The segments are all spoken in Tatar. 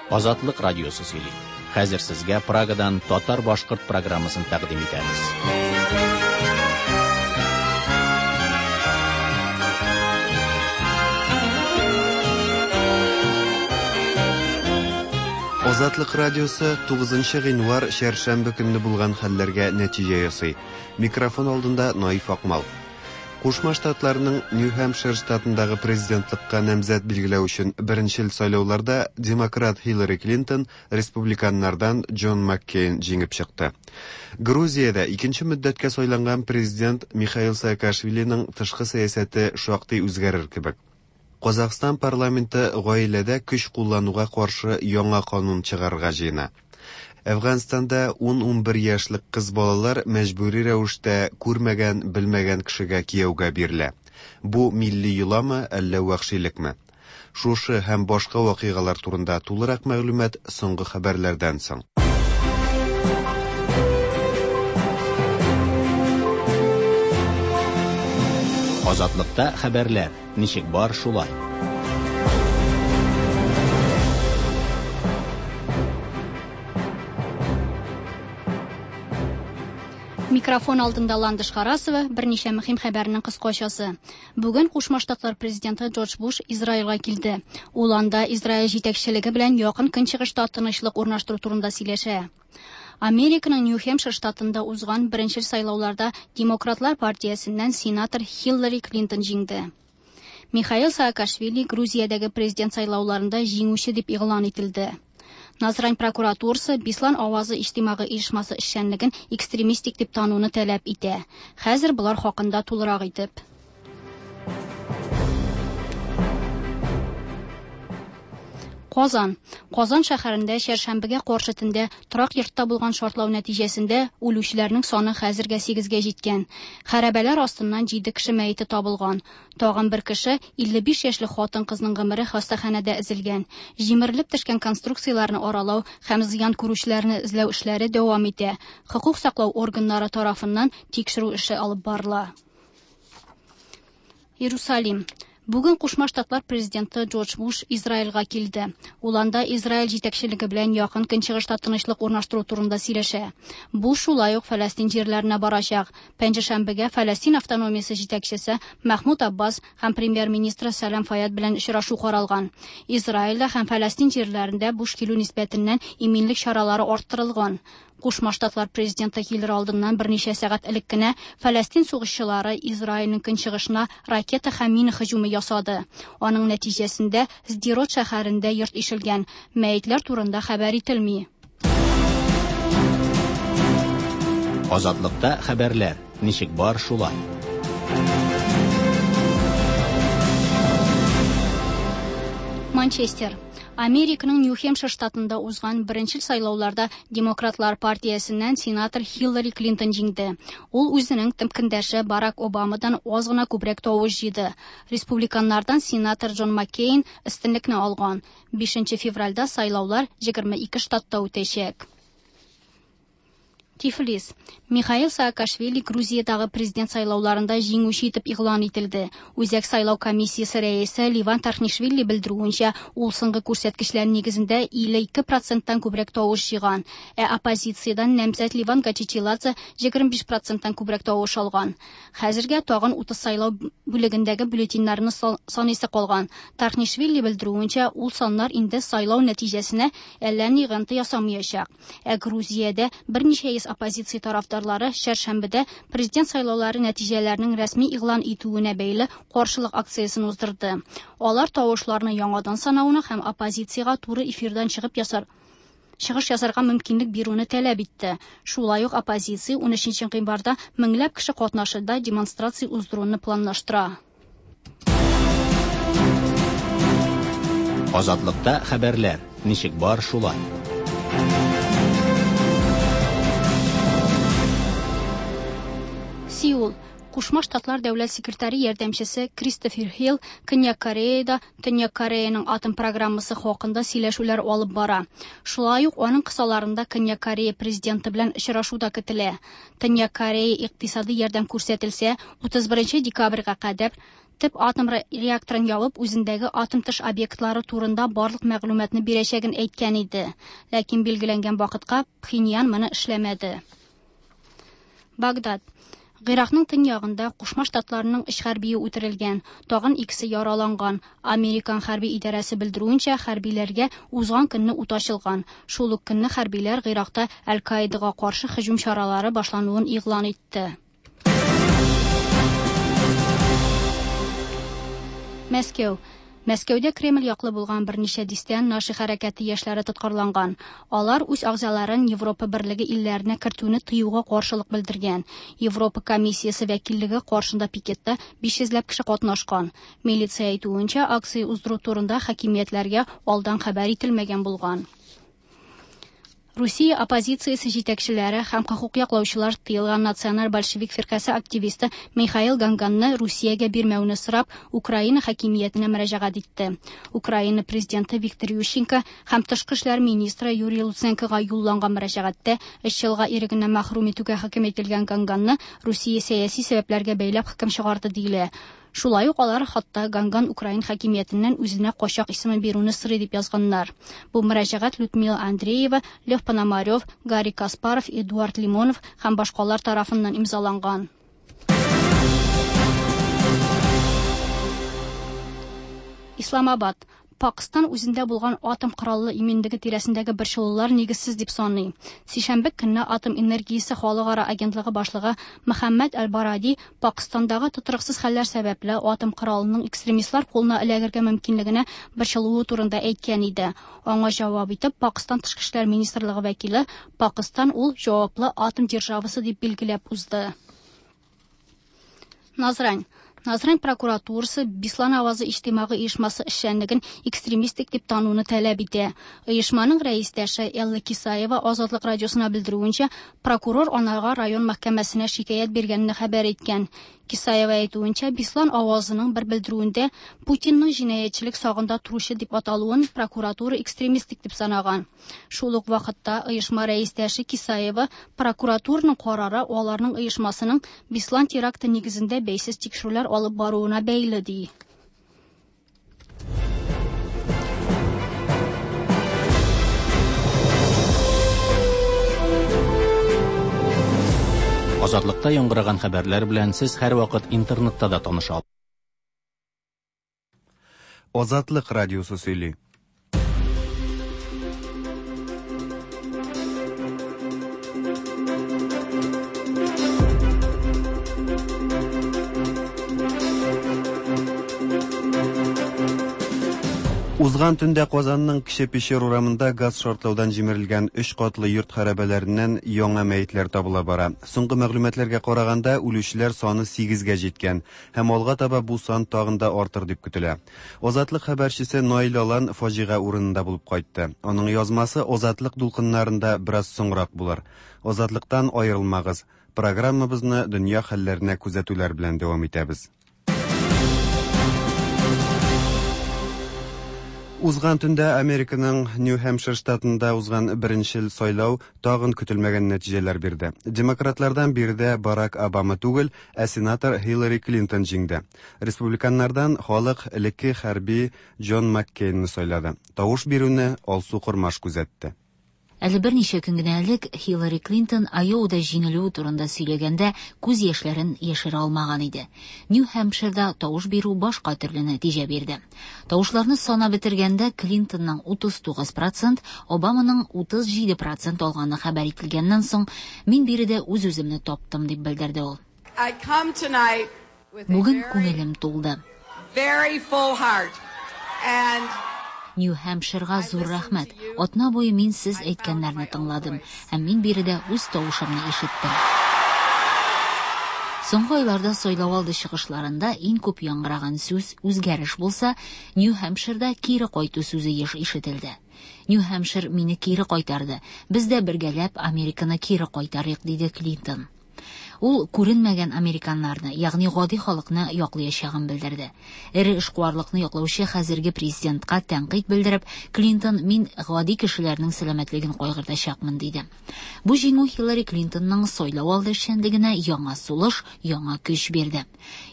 Азатлык радиосы сөйли. Хәзер сезгә Прагадан татар-башкорт программасын тәкъдим итәбез. Азатлык радиосы 9 гыйнвар чәршәмбе көнне булган хәлләргә нәтиҗә ясый. Микрофон алдында Наиф Акмал. Кушма Штатларның Нью-Хэмпшир штатындагы президентлыкка намзәт билгеләү өчен беренчел сайлауларда демократ Хиллари Клинтон республиканнардан Джон Маккейн җиңеп чыкты. Грузиядә икенче мөддәткә сайланган президент Михаил Саакашвилиның тышкы сәясәте шактый үзгәрер кебек. Казахстан парламенты гаиләдә көч куллануга каршы яңа канун чыгарырга җыена. Әфганстанда 10-11 яшьлек кыз балалар мәҗбүри рәвештә күрмәгән, белмәгән кешегә кияүгә бирелә. Бу милли йоламы, әллә вәхшилекме? Шушы һәм башка вакыйгалар турында тулырак мәгълүмат соңгы хәбәрләрдән соң. Азатлыкта хәбәрләр ничек бар шулай. Микрофон алдында Ландыш Харасова берничә мөһим хәбәрнең кыскачасы. Бүген Кушма Штатлар президенты Джордж Буш Израильгә килде. Ул анда Израиль җитәкчелеге белән Якын Көнчыгышта тынычлык урнаштыру турында сөйләшә. Американың Нью-Хэмпшир штатында узган беренчел сайлауларда Демократлар партиясеннән сенатор Хиллари Клинтон җиңде. Михаил Саакашвили Грузиядәге президент сайлауларында җиңүче дип игълан ителде. Назрань прокуратурасы Бислан авазы иҗтимагый оешмасы эшчәнлеген экстремистик дип тануны таләп итә. Хәзер болар хакында тулырак итеп. Казан. Казан шәһәрендә чәршәмбегә каршы төндә торак йортта булган шартлау нәтиҗәсендә үлүчеләрнең саны хәзергә 8-гә җиткән. Хәрабәләр астыннан 7 кеше мәете табылган. Тагын бер кеше, 55 яшьлек хатын-кызның гомере хастаханәдә өзелгән. Җимерелеп төшкән конструкцияләрне аралау һәм зыян күрүчеләрне эзләү эшләре дәвам итә. Хокук саклау органнары тарафыннан тикшерү эше алып барыла. Иерусалим. Бүген Кушма Штатлар президенты Джордж Буш Израильгә килде. Ул анда Израиль җитәкчелеге белән Якын Көнчыгышта тынычлык урнаштыру турында сөйләшә. Буш шулай ук Фәләстин җирләренә барачак. Пәнҗешәмбегә Фәләстин автономиясе җитәкчесе Мәхмүд Аббас һәм премьер-министры Сәлам Фаяд белән очрашу каралган. Израильдә һәм Фәләстин җирләрендә Буш килү нисбәтеннән иминлек чаралары арттырылган. Кушма Штатлар президенты килер алдыннан берничә сәгать элек кенә Фәләстин сугышчылары Израильнең көнчыгышына ракета һәм мина һөҗүме ясады. Аның нәтиҗәсендә Сдерот шәһәрендә йорт ишелгән. Мәетләр турында хәбәр ителми. Азатлыкта хәбәрләр ничек бар шулай. Манчестер. Американың Нью-Хэмпшир штатында узган беренчел сайлауларда Демократлар партиясеннән сенатор Хиллари Клинтон җиңде. Ул үзенең типкендәше Барак Обамадан аз гына күбрәк тавыш җыйды. Республиканнардан сенатор Джон Маккейн өстенлекне алган. 5 февральдә сайлаулар 22 штатта үтәчәк. Тифлис. Михаил Саакашвили Грузиядагы президент сайлауларында җиңүче итеп игълан ителде. Үзәк сайлау комиссиясе рәисе Ливан Тархнишвили белдерүенчә, ул соңгы күрсәткечләр нигезендә 52%-тан күбрәк тавыш җыйган, ә оппозициядән намзәт Ливан Гачичиладзе 25%-тан күбрәк тавыш алган. Хәзергә тагын 30 сайлау бүлегендәге бюллетеньнәрне саныйсы калган. Тархнишвили белдерүенчә, ул саннар инде сайлау нәтиҗәсенә әллә ни йогынты ясамаячак. Ә Грузиядә берничә йөз оппозиция тарафдарлары чәршәмбедә президент сайлаулары нәтиҗәләренең рәсми игълан итүенә бәйле каршылык акциясен уздырды. Алар тавышларны яңадан санауны һәм оппозициягә туры эфирдан чыгып ясар чыгыш ясарга мөмкинлек бирүне таләп итте. Шулай ук оппозиция 13 гыйнварда меңләп кеше катнашында демонстрация уздыруны планлаштыра. Азатлыкта хәбәрләр ничек бар шулай. Сеул. Кушма Штатлар дәүләт секретаре ярдәмчесе Кристофер Хилл Көньяк Кореяда Төньяк Кореяның атом программасы хакында сөйләшүләр алып бара. Шулай ук аның кысаларында Көньяк Корея президенты белән очрашу да көтелә. Төньяк Корея икътисади ярдәм күрсәтелсә, 31 декабрьгә кадәр Төп атом реакторын ябып, үзендәге атом тыш объектлары турында барлык мәгълүматны бирәчәген әйткән иде. Ләкин билгеләнгән вакытка Пхеньян моны эшләмәде. Багдад. Гыйракның төньягында Кушма Штатларның өч хәрбие үтерелгән, тагын икесе яраланган. Американ хәрби идарәсе белдерүенчә, хәрбиләргә узган көнне ут ачылган. Шул ук көнне хәрбиләр Гыйракта Әл-Каидага каршы һөҗүм чаралары башлануын игълан итте. Мәскәү. Мәскәүдә Кремль яклы булган берничә дистә Наши хәрәкәте яшьләре тоткарланган. Алар үз агзаларын Европа берлеге илләренә кертүне тыюга каршылык белдергән. Европа комиссиясе вәкиллеге каршында пикетта 500 ләп кеше катнашкан. Милиция әйтүенчә, акция уздыру турында хакимиятләргә алдан хәбәр ителмәгән булган. Русия оппозициясе җитәкчеләре һәм хокук яклаучылар тыелган Националь большевик фиркасе активисты Михаил Ганганны Русиягә бирмәүне сорап, Украина хакимиятенә мөрәҗәгать итте. Украина президенты Виктор Ющенко һәм тышкы эшләр министры Юрий Луценкога юлланган мөрәҗәгатьтә өч елга ирегеннән мәхрүм итүгә хөкем ителгән Ганганны Русия сәяси сәбәпләргә бәйләп хөкем чыгарды диелә. Шулай ук алар хатта Ганган украин хакимиятеннән үзенә качак исеме бирүне сорый дип язганнар. Бу мөрәҗәгать Людмила Андреева, Лев Пономарев, Гарри Каспаров, Эдуард Лимонов һәм башкалар тарафыннан имзаланган. Исламабад. Пакыстан үзендә булган атом кораллы иминлеге тирәсендәге борчылулар нигезсез дип саный. Сишәмбе көнне атом энергиясе халыкара агентлыгы башлыгы Мөхәммәд Әл-Баради Пакыстандагы тотрыксыз хәлләр сәбәпле атом коралының экстремистлар кулына эләгергә мөмкинлегенә борчылуы турында әйткән иде. Аңа җавап итеп Пакыстан тышкы эшләр министрлыгы вәкиле Пакыстан ул җаваплы атом державасы дип билгеләп узды. Назрань. Назрань прокуратурасы Беслан авазы иҗтимагый оешмасы эшчәнлеген экстремистик дип тануны таләп итә. Оешманың рәистәше Элла Кисаева Азатлык радиосына белдерүенчә, прокурор анарга район мәхкәмәсенә шикаять биргәнен хәбәр иткән. Кисаева әйтүенчә, Беслан авазының бер белдерүендә Путинның җинаятьчелек сагында торучы дип аталуын прокуратура экстремистик дип санаган. Шул ук вакытта оешма рәистәше Кисаева прокуратураның карары аларның оешмасының Беслан теракты нигезендә бәйсез тикшерүләр алып баруына бәйле ди. Азатлыкта яңгыраган хәбәрләр белән сез һәрвакыт интернетта да таныша аласыз. Азатлык радиосы сөйли. Узган төндә Казанның Кече Пещер урамында газ шартлаудан җимерелгән өч катлы йорт хәрабәләреннән яңа мәетләр табыла бара. Соңгы мәгълүматларга караганда, үлүчеләр саны 8-гә җиткән һәм алга таба бу сан тагын да артыр дип көтелә. Азатлык хәбәрчесе Наил Алан фаҗига урынында булып кайтты. Аның язмасы Азатлык дулкыннарында бераз соңрак булыр. Азатлыктан аерылмагыз. Программабызны дөнья хәлләренә күзәтүләр белән дәвам итәбез. Узган төндә Американың Нью-Хэмпшир штатында узган беренчел сайлау тагын көтелмәгән нәтиҗәләр бирде. Демократлардан биредә Барак Обама түгел, ә сенатор Хиллари Клинтон җиңде. Республиканнардан халык элекке хәрби Джон Маккейнны сайлады. Тавыш бирүне Алсу Кормаш күзәтте. Әле берничә көн генә элек Хиллари Клинтон Айовада җиңелүе турында сөйләгәндә күз яшьләрен яшерә алмаган иде. Нью-Хэмпширда тавыш бирү башка төрле нәтиҗә бирде. Тавышларны санап бетергәндә Клинтонның 39%, Обаманың 37% алганы хәбәр ителгәннән соң, мин биредә үз-үземне таптым дип белдерде ул. Бүген күңелем тулды. Very full heart. And Нью-Хэмпширга зур рәхмәт. Атна буе мин сез әйткәннәрне тыңладым һәм мин биредә үз тавышымны ишеттем. Соңгы айларда сайлау алды чыгышларында иң күп яңгыраган сүз үзгәреш булса, Нью-Хэмпширда кире кайту сүзе еш ишетелде. Нью-Хэмпшир мине кире кайтарды. Без дә бергәләп Американы кире кайтарыйк, диде Клинтон. Ул күренмәгән американнарны, ягъни гади халыкны яклаячагын белдерде. Эре эшкуарлыкны яклаучы хәзерге президентка тәнкыйть белдереп, Клинтон мин гади кешеләрнең сәламәтлеген кайгыртачакмын диде. Бу җиңү Хиллари Клинтонның сайлау алды эшчәнлегенә яңа сулыш, яңа көч бирде.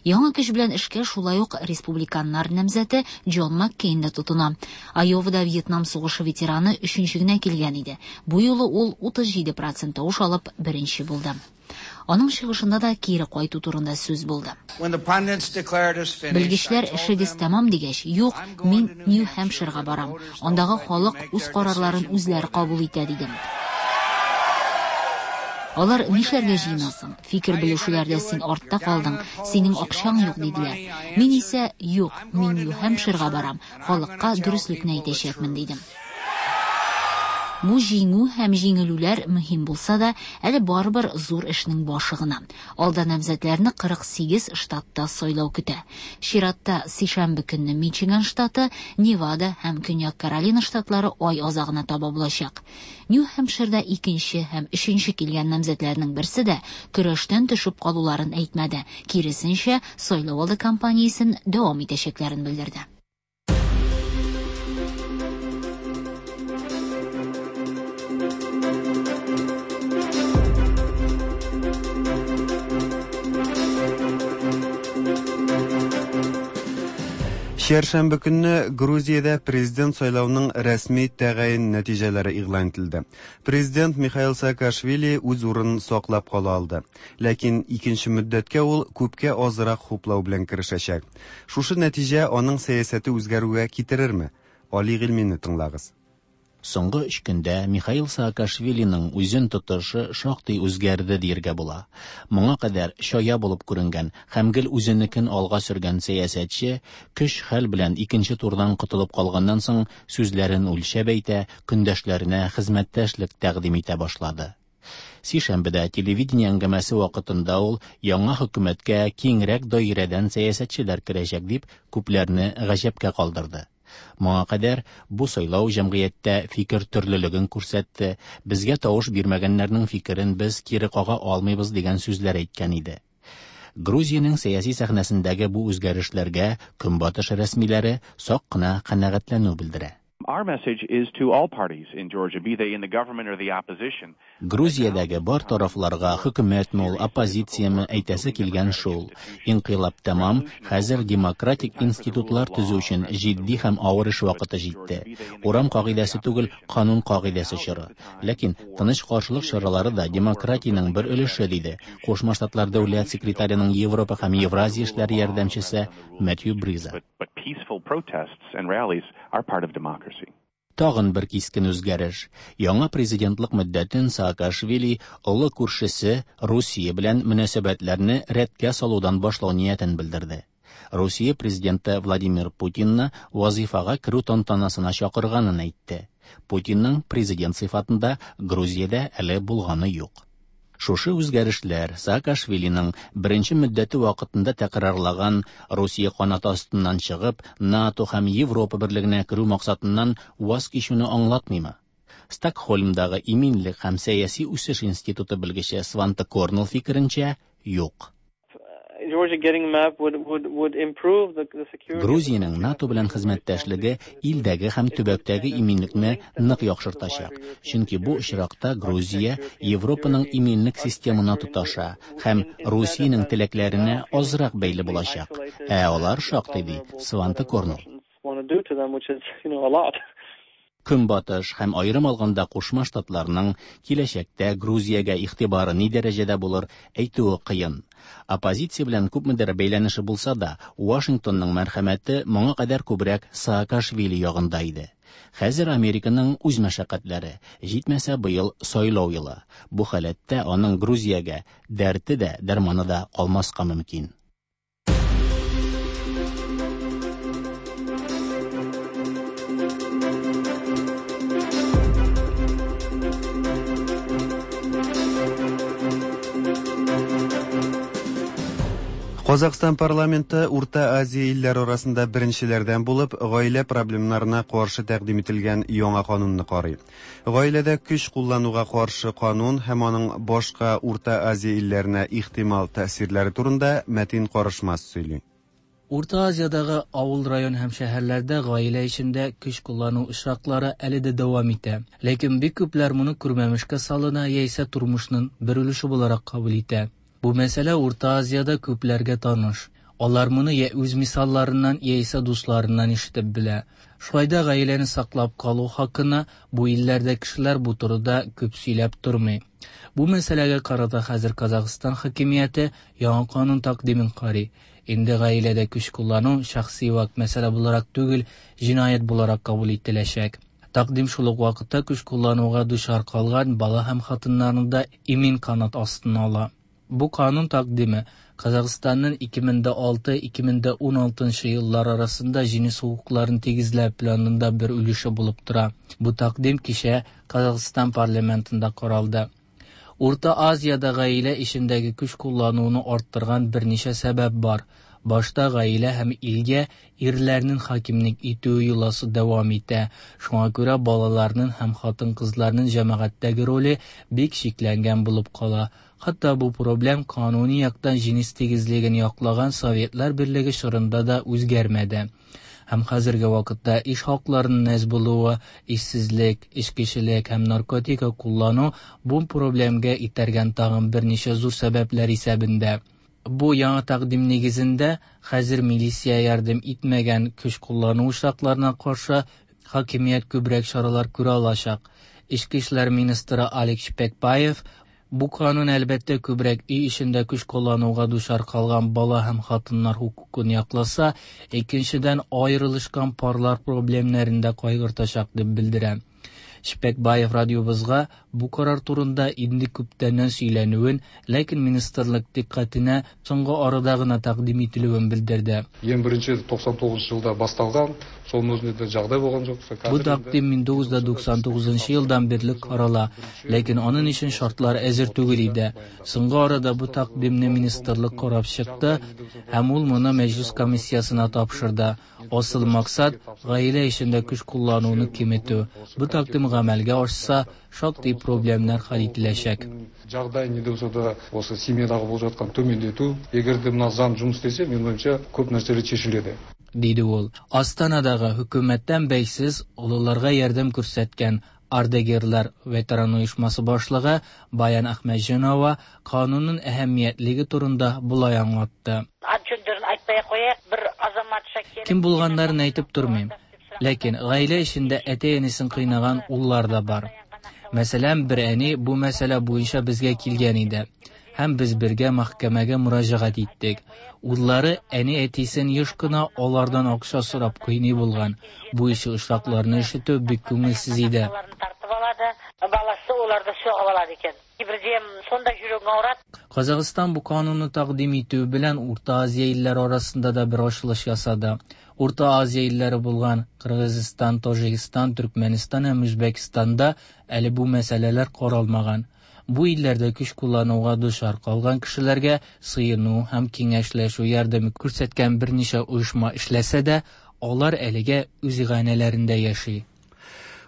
Яңа көч белән эшкә шулай ук республиканнар намзәте Джон Маккейн да тотына. Айовада Вьетнам сугышы ветераны өченче генә килгән иде. Бу юлы ул 37% тавыш алып беренче булды. Аның чыгышында да кире кайту турында сүз булды. Белгечләр эшегез тәмам дигәч, юк, мин Нью-Хэмпширга барам. Андагы халык үз карарларын үзләре кабул итә, дидем. Алар нишләргә җыенасың? Фикер белешүләрдә син артта калдың, синең акчаң юк, диделәр. Мин исә, юк, мин Нью-Хэмпширга барам, халыкка дөреслекне әйтәчәкмен, дидем. Бу җиңү һәм җиңелүләр мөһим булса да, әле барыбер зур эшнең башы гына. Алда намзәтләрне 48 штатта сайлау көтә. Чиратта сишәмбе көнне Мичиган штаты, Невада һәм Көньяк Каролина штатлары ай азагына таба булачак. Нью-Хэмпширда икенче һәм өченче килгән намзәтләрнең берсе дә көрәштән төшеп калуларын әйтмәде. Киресенчә, сайлау алды кампаниясен дәвам итәчәкләрен белдерде. Чәршәмбе көнне Грузиядә президент сайлауның рәсми тәгаен нәтиҗәләре игълан ителде. Президент Михаил Саакашвили үз урынын саклап кала алды. Ләкин икенче мөддәткә ул күпкә азрак хуплау белән керешәчәк. Шушы нәтиҗә аның сәясәте үзгәрүгә китерерме? Али Гыйльмине тыңлагыз. Соңгы өч көндә Михаил Саакашвилиның үзен тотышы шактый үзгәрде дияргә була. Моңа кадәр чая булып күренгән һәм гел үзенекен алга сөргән сәясәтче көч-хәл белән икенче турдан котылып калганнан соң сүзләрен үлчәп әйтә, көндәшләренә хезмәттәшлек тәкъдим итә башлады. Сишәмбедә телевидение әңгәмәсе вакытында ул яңа хөкүмәткә киңрәк даирәдән сәясәтчеләр керәчәк дип күпләрне гаҗәпкә калдырды. Моңа кадәр бу сайлау җәмгыятьтә фикер төрлелеген күрсәтте, безгә тавыш бирмәгәннәрнең фикерен без кире кага алмыйбыз дигән сүзләр әйткән иде. Грузиянең сәяси сәхнәсендәге бу үзгәрешләргә Көнбатыш рәсмиләре сак кына канәгатьләнү белдерә. Our message is to all parties in Georgia, be they in the government or the opposition. Грузиядәге бар тарафларга хөкүмәтме ул, оппозицияме әйтәсе килгән шул. Инкыйлаб тәмам, хәзер демократик институтлар төзү өчен җитди һәм авыр эш вакыты җитте. Урам кагыйдәсе түгел, канун кагыйдәсе чоры. Ләкин тыныч каршылык чаралары да демократиянең бер өлеше, диде Кушма Штатлар дәүләт секретареның Европа һәм Евразия эшләре ярдәмчесе Мэтью Бриза. But peaceful protests and rallies are part of democracy. Тагын бер кискен үзгәреш. Яңа президентлык мөддәтен Саакашвили олы күршесе Русия белән мөнәсәбәтләрне рәткә салудан башлау ниятен белдерде. Русия президенты Владимир Путинны вазифага керү тантанасына чакырганын әйтте. Путинның президент сыйфатында Грузиядә әле булганы юк. Шушы үзгәрешләр Саакашвилиның беренче мөддәте вакытында тәкрарлаган Русия канаты астыннан чыгып, НАТО һәм Европа берлегенә керү максатыннан ваз кичүне аңлатмыймы? Стокһольмдагы иминлек һәм сәяси үсеш институты белгече Сванте Корнелл фикеренчә, юк. Грузиянең НАТО белән хезмәттәшлеге илдәге һәм төбәктәге иминлекне нык яхшыртачак, чөнки бу очракта Грузия Европаның иминлек системына тоташа һәм Русиянең теләкләренә азрак бәйле булачак. Ә алар шактый, ди Сванте Корнелл. Көнбатыш һәм аерым алганда Кушма Штатларның киләчәктә Грузиягә игътибары ни дәрәҗәдә булыр, әйтүе кыен. Оппозиция белән күпмедер бәйләнеше булса да, Вашингтонның мәрхәмәте моңа кадәр күбрәк Саакашвили ягында иде. Хәзер Американың үз мәшәкатьләре, җитмәсә быел сайлау елы. Бу халәттә аның Грузиягә дәрте дә, дәрманы да калмаска мөмкин. Казакъстан парламенты Урта Азия илләре арасында беренчеләрдән булып гаилә проблемнарына каршы тәкъдим ителгән яңа канунны карый. Гаиләдә көч куллануга каршы канун һәм аның башка Урта Азия илләренә ихтимал тәэсирләре турында Мәтин Карышмас сөйли. Урта Азиядагы авыл, район һәм шәһәрләрдә гаилә эчендә көч куллану очраклары әле дә дәвам итә. Ләкин бик күпләр моны күрмәмешкә салына яисә тормышның бер өлеше буларак кабул итә. Бу мәсьәлә Урта Азиядә күпләргә таныш. Алар моны я үз мисалларыннан, яисә дусларыннан ишетеп белә. Шулай да гаиләне саклап калу хакына бу илләрдә кешеләр бу турыда күп сөйләп тормый. Бу мәсьәләгә карата хәзер Казахстан хакимияте яңа канун тәкъдимен карый. Инде гаиләдә көч куллану шәхси вак мәсьәлә буларак түгел, җинаять буларак кабул ителәчәк. Тәкъдим шул ук вакытта көч куллануга дучар калган бала һәм хатыннарны да имин канат астына ала. Бу канун тәкъдиме Казахстанның 2006-2016 еллар арасында җенес хокукларын тигезләү планында бер өлеше булып тора. Бу тәкъдим кичә Казахстан парламентында каралды. Урта Азиядә гаилә эчендәге көч куллануны арттырган берничә сәбәп бар. Башта гаилә һәм илгә ирләрнең хакимлек итүе йоласы дәвам итә. Шуңа күрә балаларның һәм хатын-кызларның җәмәгатьтәге роле бик чикләнгән булып кала. Хәтта бу проблем кануни яктан җенес тигезлеген яклаган Советлар Берлеге чорында да үзгәрмәде. Һәм хәзерге вакытта эш хакларының әз булуы, эшсезлек, эчкечелек һәм наркотика куллану бу проблемга этәргән тагын берничә зур сәбәпләр исәбендә. Бу яңа тәкъдим нигезендә хәзер милиция ярдәм итмәгән көч куллану очракларына каршы хакимият күбрәк чаралар күрә алачак. Эчке эшләр министры Алик Шпекбаев бу канун әлбәттә күбрәк өй эчендә көч куллануга дучар калган бала һәм хатыннар хокукын якласа, икенчедән аерылышкан парлар проблемнарын да кайгыртачак дип белдерә. Шпекбаев радиобызга бу карар турында инде күптәннән сөйләнүен, ләкин министрлык дикъкатенә соңгы арада гына тәкъдим ителүен белдерде. Ең бірінші 99 жылда басталған, соның өзінде де жағдай болған жоқ. Бу тәкъдим 1999 елдан бирле карала, ләкин аның өчен шартлар әзер түгел иде. Соңгы арада бу тәкъдимне министрлык карап чыкты һәм ул моны мәҗлис комиссиясенә тапшырды. Асыл максат гаилә эчендә көч куллануны киметү. Бу тәкъдим гамәлгә ашса, шактый проблемнар хәл ителәчәк. Жағдай не де болса да осы семьядағы болып жатқан төмендету, егер де мына заң жұмыс істесе, менің ойымша, көп нәрселер шешіледі. Диде ул. Астанадагы хөкүмәттән бәйсез олыларга ярдәм күрсәткән Ардагерлар ветеран оешмасы башлыгы Баян Әхмәтҗанова канунның әһәмиятлеге турында болай аңлатты. Кем булганнарын әйтеп тормыйм. Ләкин гаилә эчендә әти-әнисен кыйнаган уллар да бар. Мәсәлән, бер әни бу мәсьәлә буенча безгә килгән иде. Һәм без бергә мәхкәмәгә мөрәҗәгать иттек. Уллары әни әтисен еш кына алардан акча сорап кыйный булган. Бу ише очракларны ишетү бик күңелсез иде. Баласы уларды соғып алады екен. Бірде сонда жүрегің ауырады. Казахстан бу канунны тәкъдим итү белән Урта Азия илләре арасында да бер ачылыш ясады. Урта Азия илләре булган Кыргызстан, Таҗикстан, Төркмәнстан һәм Үзбәкстанда әле бу мәсьәләләр каралмаган. Бу илләрдә көч куллануга дучар калган кешеләргә сыену һәм киңәшләшү ярдәме күрсәткән берничә оешма эшләсә дә, алар әлегә үз иганәләрендә яши.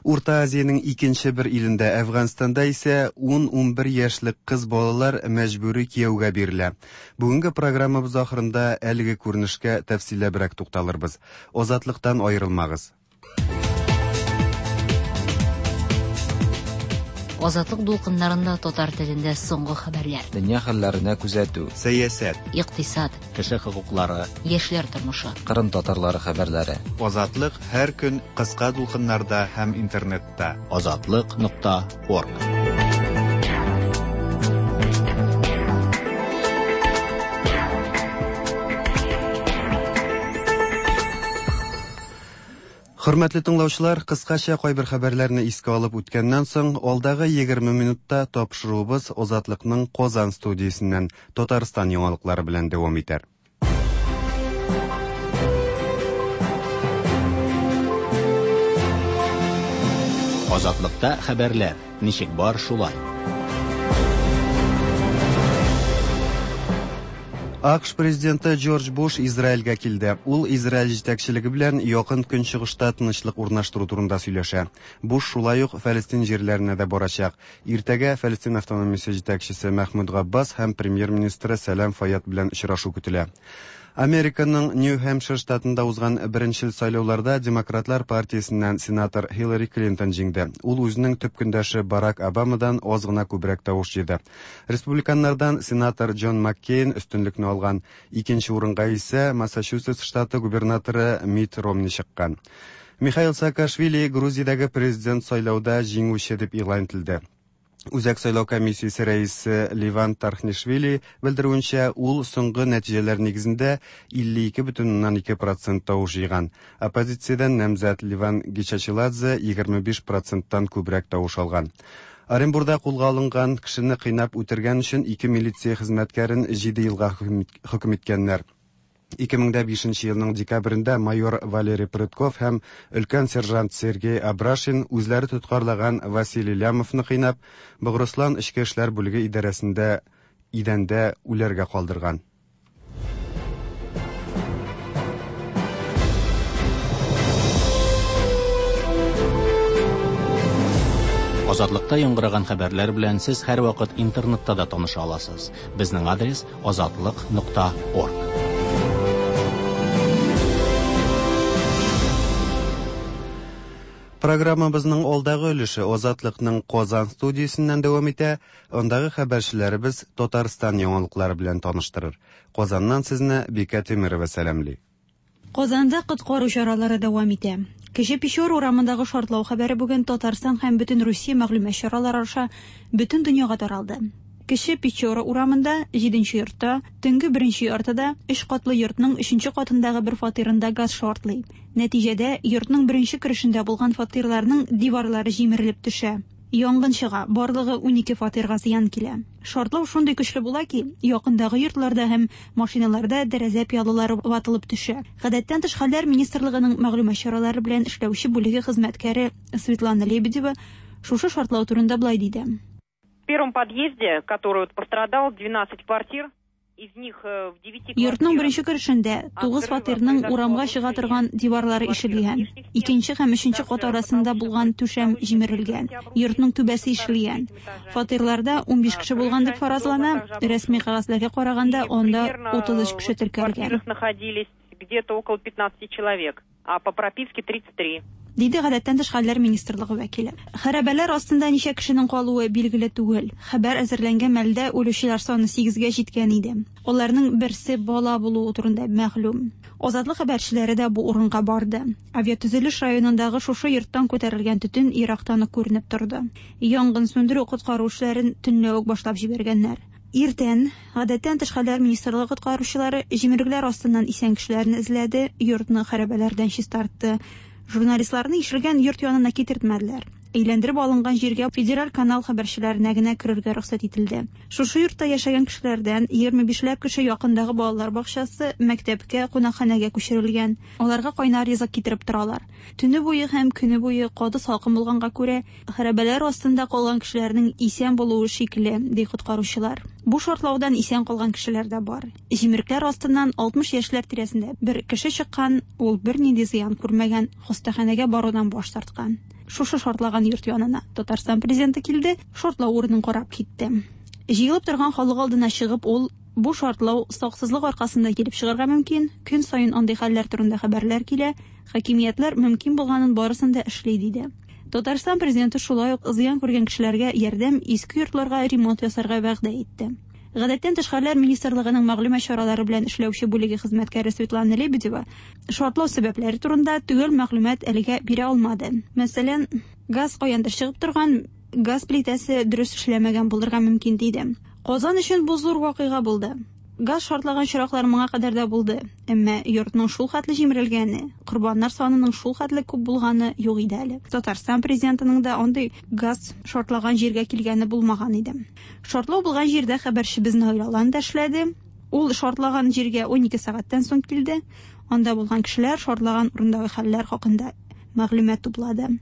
Урта Азиянең икенче бер илендә, Әфганстанда исә 10-11 яшьлек кыз балалар мәҗбүри кияүгә бирелә. Бүгенге программабыз ахырында әлеге күренешкә тәфсилләбрәк тукталырбыз. Азатлыктан аерылмагыз. Азатлык дулкыннарында татар телендә соңгы хәбәрләр. Дөнья хәлләренә күзәтү. Сәясәт. Икътисад. Кеше хокуклары. Яшьләр тормышы. Кырым татарлары хәбәрләре. Азатлык һәр көн кыска дулкыннарда һәм интернетта. Азатлык.орг. Хөрмәтле тыңлаучылар, кыскача кайбер хәбәрләрне искә алып үткәннән соң, алдагы 20 минутта тапшыруыбыз Азатлыкның Казан студиясеннән Татарстан яңалыклары белән дәвам итәр. Азатлыкта хәбәрләр ничек бар шулай. АКШ президенты Джордж Буш Израильгә килде. Ул Израиль җитәкчелеге белән Якын Көнчыгышта тынычлык урнаштыру турында сөйләшә. Буш шулай ук Фәлестин җирләренә дә барачак. Иртәгә Фәлестин автономиясе җитәкчесе Мәхмүд Габбас һәм премьер-министры Сәлам Файяд белән очрашу көтелә. Американың Нью-Хэмпшир штатында узган беренчел сайлауларда Демократлар партиясеннән сенатор Хиллари Клинтон җиңде. Ул үзенең төп көндәше Барак Обамадан аз гына күбрәк тавыш җыйды. Республиканнардан сенатор Джон Маккейн өстенлекне алган. Икенче урынга исә Массачусетс штаты губернаторы Митт Ромни чыккан. Михаил Саакашвили Грузиядәге президент сайлауда җиңүче дип игълан ителде. Үзәк сайлау комиссиясе рәисе Леван Тархнишвили белдерүенчә, ул соңгы нәтиҗәләр нигезендә 52,2 процент тавыш җыйган. Оппозициядән намзәт Леван Гечачиладзе 25 проценттан күбрәк тавыш алган. Оренбурда кулга алынган кешене кыйнап үтергән өчен ике милиция хезмәткәрен 7 елга хөкем иткәннәр. 2005 елның декабрендә майор Валерий Прытков һәм өлкән сержант Сергей Абрашин үзләре тоткарлаган Василий Лямовны кыйнап, Богырыслан эчке эшләр бүлеге идарәсендә идәндә үләргә калдырган. Азатлыкта яңгыраган хәбәрләр белән сез һәрвакыт интернетта да таныша аласыз. Безнең адрес азатлык.орг. Программабызның алдагы өлеше Азатлыкның Казан студиясеннән дәвам итә. Андагы хәбәрчеләребез Татарстан яңалыклары белән таныштырыр. Казаннан сезне Бикә Тимирова сәламли. Казанда коткару чаралары дәвам итә. Кече Печора урамындагы шартлау хәбәре бүген Татарстан һәм бөтен Русия мәгълүмат чаралары аша бөтен дөньяга таралды. Кече Печора урамында, 7 йортта, төнге 1 яртыда өч катлы йортның 3 катындагы бер фатирында газ шартлый. Нәтиҗәдә, йортның беренче керешендә булган фатирларның диварлары җимерелеп төшә. Янгын чыга, барлыгы 12 фатирга зыян килә. Шартлау шундый көчле була ки, якындагы йортларда һәм машиналарда тәрәзә пыялалары ватылып төшә. Гадәттән тыш хәлләр министрлыгының мәгълүмат чаралары белән эшләүче бүлеге хезмәткәре Светлана Лебедева шушы шартлау турында болай диде. В первом подъезде, который вот пострадал, 12 квартир, из них в 9 Йортның беренче керешендә 9 фатирның урамга чыга торган диварлары ишелгән. Икенче һәм өченче кат арасында булган түшәм җимерелгән. Йортның түбәсе ишелгән. Фатирларда 15 кеше булган дип фаразлана. Рәсми кәгазьләргә караганда, анда 33 кеше теркәлгән. Находились где-то около 15 человек, а по прописке 33. Диде гадәттән тыш хәлләр министрлыгы вәкиле. Хәрабәләр астында ничә кешенең калуы билгеле түгел. Хәбәр әзерләнгән мәлдә үлүчеләр саны 8-гә җиткән иде. Аларның берсе бала булуы турында мәгълүм. Азатлык хәбәрчеләре дә бу урынга барды. Авиатөзелеш районындагы шушы йорттан күтәрелгән төтен ерактан ук күренеп торды. Янгын сүндерү коткару эшләрен төнлә үк башлап җибәргәннәр. Иртән гадәттән тыш хәлләр министрлыгы коткаручылары җимерекләр астыннан исән кешеләрне эзләде, йортны хәрабәләрдән чистартты. Журналистларны ишелгән йорт янына китертмәделәр. Әйләндереп алынган җиргә федераль канал хәбәрчеләренә генә керергә рөхсәт ителде. Шушы йортта яшәгән кешеләрдән 25ләп кеше якындагы балалар бакчасы, мәктәпкә, кунакханәгә күчерелгән. Аларга кайнар ризык китереп торалар. Төне буе һәм көне буе каты салкын булганга күрә, хәрабәләр астында калган кешеләрнең исән булуы шикле, ди коткаручылар. Бу шартлаудан исән калган кешеләр дә бар. Җимерекләр астыннан 60 яшьләр тирәсендә бер кеше чыккан, ул бернинди зыян күрмәгән, хастаханәгә барудан баш тарткан. Шушы шартлаган йорт янына Татарстан президенты килде, шартлау урынын карап китте. Җыелып торган халык алдына чыгып, ул бу шартлау саксызлык аркасында килеп чыгарга мөмкин, көн саен андый хәлләр турында хәбәрләр килә, хакимиятләр мөмкин булганын барысын да эшли, диде. Татарстан президенты шулай ук зыян күргән кешеләргә ярдәм, иске йортларга ремонт ясарга вәгъдә итте. Гадәттән тыш хәлләр министрлыгының мәгълүмат чаралары белән эшләүче бүлеге хезмәткәре Светлана Лебедева шартлау сәбәпләре турында төгәл мәгълүмат әлегә бирә алмады. Мәсәлән, газ каяндыр чыгып торган, газ плитәсе дөрес эшләмәгән булырга мөмкин, диде. Казан өчен бу зур вакыйга булды. Газ шартлаган очраклар моңа кадәр дә булды, әмма йортның шул хәтле җимерелгәне, корбаннар санының шул хәтле күп булганы юк иде әле. Татарстан президентының да андый газ шартлаган җиргә килгәне булмаган иде. Шартлау булган җирдә хәбәрчебез Наил Алан да эшләде. Ул шартлаган җиргә 12 сәгатьтән соң килде. Анда булган кешеләр шартлаган урындагы хәлләр хакында мәгълүмат туплады.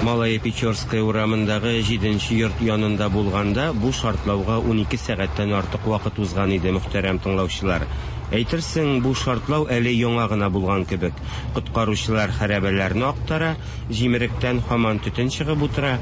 Малая Печорская урамындагы 7 йорт янында булганда бу шартлауга 12 сәгатьтән артык вакыт узган иде, мөхтәрәм тыңлаучылар. Әйтерсең, бу шартлау әле яңа гына булган кебек. Коткаручылар хәрабәләрне актара, җимеректән һаман төтен чыгып утыра.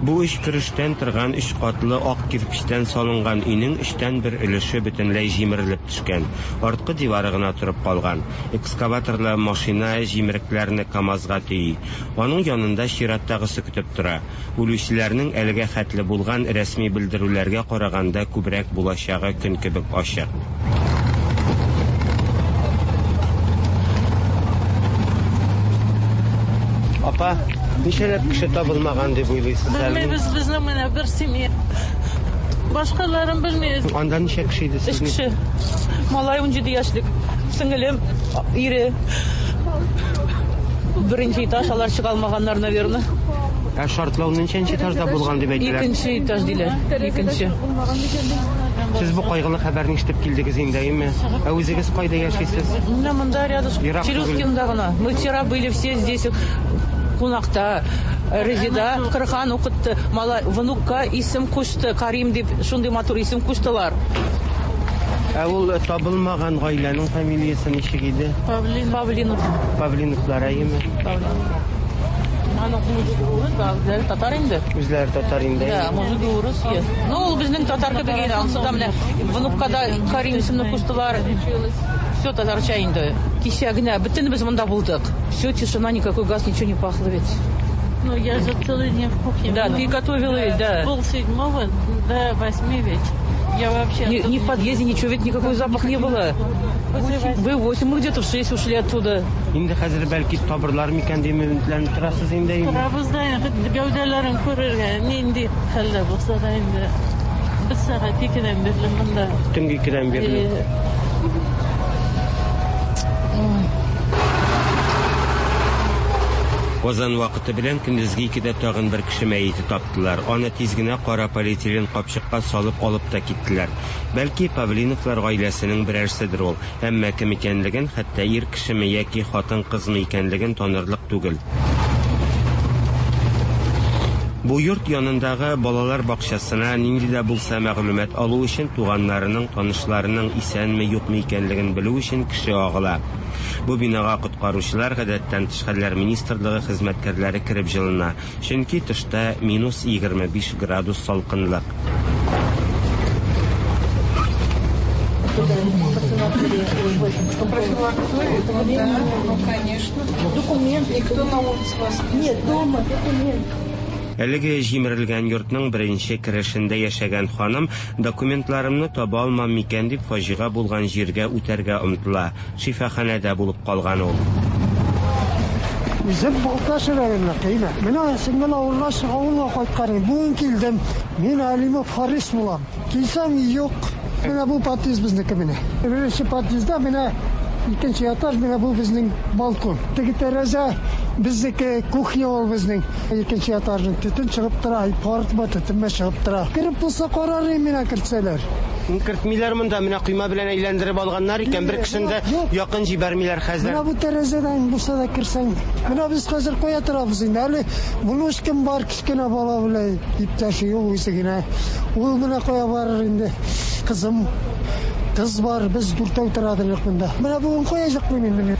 Бу өч керештән торган өч катлы ак кирпечтән салынган өйнең өчтән бер өлеше бөтенләй җимерелеп төшкән. Арткы дивары гына торып калган. Экскаваторлы машина җимерекләрне КАМАЗга төйи. Аның янында чираттагысы көтеп тора. Үлүчеләрнең әлегә хәтле булган рәсми белдерүләргә караганда күбрәк булачагы көн кебек ачык. Апа, ничәләп кеше табылмаган дип уйлыйсыз әле? Белмибез, безнең менә бер семья. Башкаларын белмибез. Анда ничә кеше иде Өч кеше. Малай 17 яшьлек, сеңелем, ире. Беренче этаж, алар чыга алмаганнар, наверное. Ә шартлау ничәнче этажда булган дип әйтәләр? Икенче этаж диләр. Икенче. Сез бу кайгылы хәбәрне ишетеп килдегез инде, әйеме? Ә үзегез кайда яшисез? Менә монда рядышком. Ерак түгел. Челюскинда гына. Мы вчера были все здесь кунакта. Резида Коръән укытты. Малай внукка исем кушты. Карим дип шундый матур исем куштылар. Ә ул табылмаган гаиләнең фамилиясе ничек иде? Павлин. Павлинов. Павлиновлар, әйеме? Аның мужигы урыс, ә үзләре татар инде. Үзләре татар инде. Да, мужигы урыс. е. Ну, ул безнең татар кебек инде. Ансы да менә внукка да Карим исемне куштылар. Все татарча инде. Кичә генә бөтенебез монда булдык. Все, тишина, никакой газ, ничего не пахло ведь. Ну, я же целый день в кухне Да, была. ты готовила ведь, да. С 6:30 до 8 вечера. Я вообще... Ни, ни в подъезде ничего, ведь никакой запах не было. Вы 8, мы где-то в 6 ушли оттуда. Инде хәзер бәлки табырлар микән дип өметләнеп торасыз инде, әйеме? Торабыз да инде, гәүдәләрен күрергә, нинди хәлдә булса да инде. Без сәгать 2-дән бирле монда. Төнге 2-дән бирле. Казан вакыты белән көндезге 2-дә тагын бер кеше мәете таптылар. Аны тиз генә кара полиэтилен капчыкка салып алып та киттеләр. Бәлки Павлиновлар гаиләсенең берәрседер ул. Әмма кем икәнлеген, хәтта ир кешеме яки хатын-кызмы икәнлеген танырлык түгел. Бу йорт янындагы балалар бакчасына нинди дә булса мәгълүмат алу өчен туганнарының, танышларының исәнме, юкмы икәнлеген белү өчен кеше агыла. Бу бинага коткаручылар, гадәттән тыш хәлләр министрлыгы хезмәткәрләре кереп җылына. Чөнки тышта минус 25 градус салкынлык. Ну, конечно. Документ. Никто на улице вас... Нет, дома документ. Әлеге җимерелгән йортның беренче керешендә яшәгән ханым документларымны таба алмам микән дип фаҗига булган җиргә үтәргә омтыла. Шифаханәдә булып калган ул. Үзем Балтач районыныкы, Менә сеңел авылга авылга кайткан идем. Бүген килдем. Мин Алимов Харис булам. Килсәм, юк. Менә бу подъезд безнеке менә. Беренче подъездда менә икенче этаж, менә бу безнең балкон. Теге тәрәзә безнеке, кухня ул безнең. Икенче этажның төтен чыгып тора, пар төтенме чыгып тора. Кереп булса карар идем менә кертсәләр. Кертмиләр монда, менә койма белән әйләндереп алганнар икән, бер кешене дә якын җибәрмиләр хәзер. Менә бу тәрәзәдән булса да керсәң. Менә без хәзер кая торабыз инде. Әле внучкам бар, кечкенә бала белән иптәше юк үзе генә. Ул менә кая барыр инде. Кызым, кыз бар, без дүртәү торадык монда. Менә бүген кая чыкмыйм инде мин.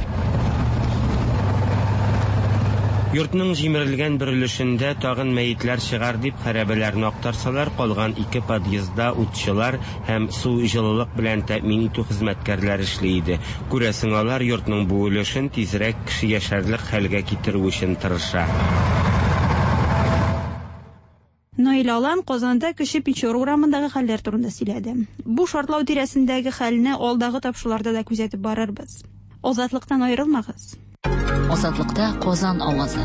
Йортның җимерелгән бер өлешендә тагын мәетләр чыгар дип хәрабәләрне актарсалар, калган ике подъездда утчылар һәм су җылылык белән тәэмин итү хезмәткәрләре эшли иде. Күрәсең, алар йортның бу өлешен тизрәк кеше яшәрлек хәлгә китерү өчен тырыша. Наил Алан Казанда Кече Печора урамындагы хәлләр турында сөйләде. Бу шартлау тирәсендәге хәлне алдагы тапшыруларда да күзәтеп барырбыз. Азатлыктан аерылмагыз. Азатлыкта Казан авазы.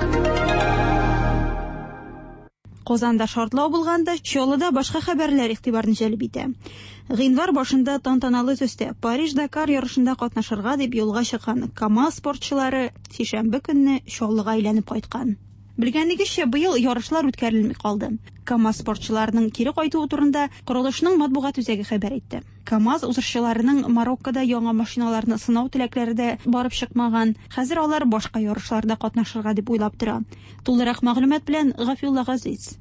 Казанда шартлау булганда Чаллыда башка хәбәрләр игътибарны җәлеп итә. Гыйнвар башында тантаналы төстә Париж-Дакар ярышында катнашырга дип юлга чыккан КАМАЗ спортчылары сишәмбе көнне Чаллыга әйләнеп кайткан. Белгәнегезчә, быел ярышлар үткәрелми калды. КАМАЗ спортчыларының кире кайтуы турында корылышның матбугат үзәге хәбәр итте. КАМАЗ узышчыларының Мароккода яңа машиналарны сынау теләкләре дә барып чыкмаган. Хәзер алар башка ярышларда катнашырга дип уйлап тора. Тулырак мәгълүмат белән Гафиулла Газиз.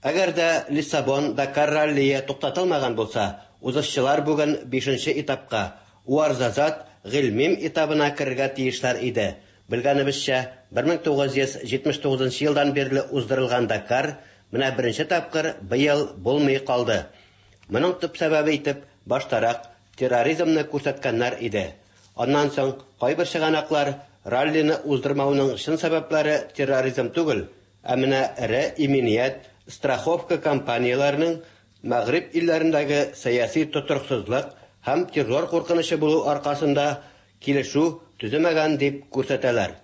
Әгәр дә Лиссабон, Дакар раллие туктатылмаган булса, узышчылар бүген бишенче этапка, Уарзазат, Гыйльмим этабына керергә тиешләр иде. Белгәнебезчә, 1979 елдан бирле уздырылган Дакар менә беренче тапкыр быел булмый калды. Моның төп сәбәбе итеп баштарак терроризмны күрсәткәннәр иде. Аннан соң кайбер чыганаклар раллины уздырмауның чын сәбәпләре терроризм түгел, ә менә эре иминият, страховка компанияләренең Мәгъриб илләрендәге сәяси тотрыксызлык һәм террор куркынычы булу аркасында килешү төземәгән дип күрсәтәләр.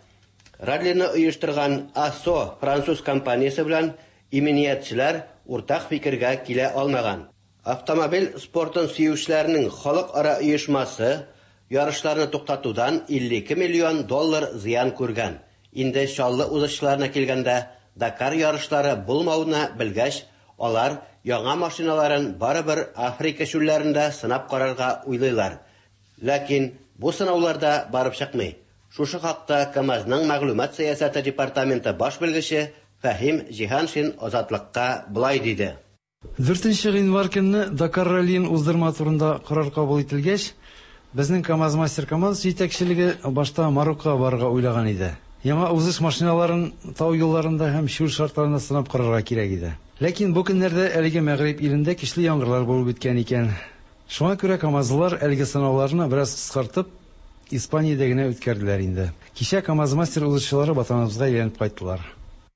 Раллины оештырган АСО француз компаниясе белән иминиятчеләр уртак фикергә килә алмаган. Автомобиль спортын сөючеләрнең халыкара оешмасы ярышларны туктатудан 52 миллион доллар зыян күргән. Инде Чаллы узышчыларына килгәндә, Дакар ярышлары булмауны белгәч, алар яңа машиналарын барыбер Африка чүлләрендә сынап карарга уйлыйлар. Ләкин бу сынаулар да барып чыкмый. Шушы хакта КАМАЗның мәгълүмат сәясәте департаменты баш белгече Фәһим Җиһаншин Азатлыкка болай диде. 4 гыйнвар көнне Дакар раллиен уздырма турында карар кабул ителгәч, безнең КАМАЗ-Мастер командасы җитәкчелеге башта Мароккога барырга уйлаган иде. Яңа узыш машиналарын тау юлларында һәм чүл шартларында сынап карарга кирәк иде. Ләкин бу көннәрдә әлеге Мәгъриб илендә көчле яңгырлар булып үткән икән. Шуңа күрә камазлылар әлеге сынауларны бераз кыскартып, Испаниядә генә үткәрделәр инде. Кичә КАМАЗ-Мастер узышчылары ватаныбызга әйләнеп кайттылар.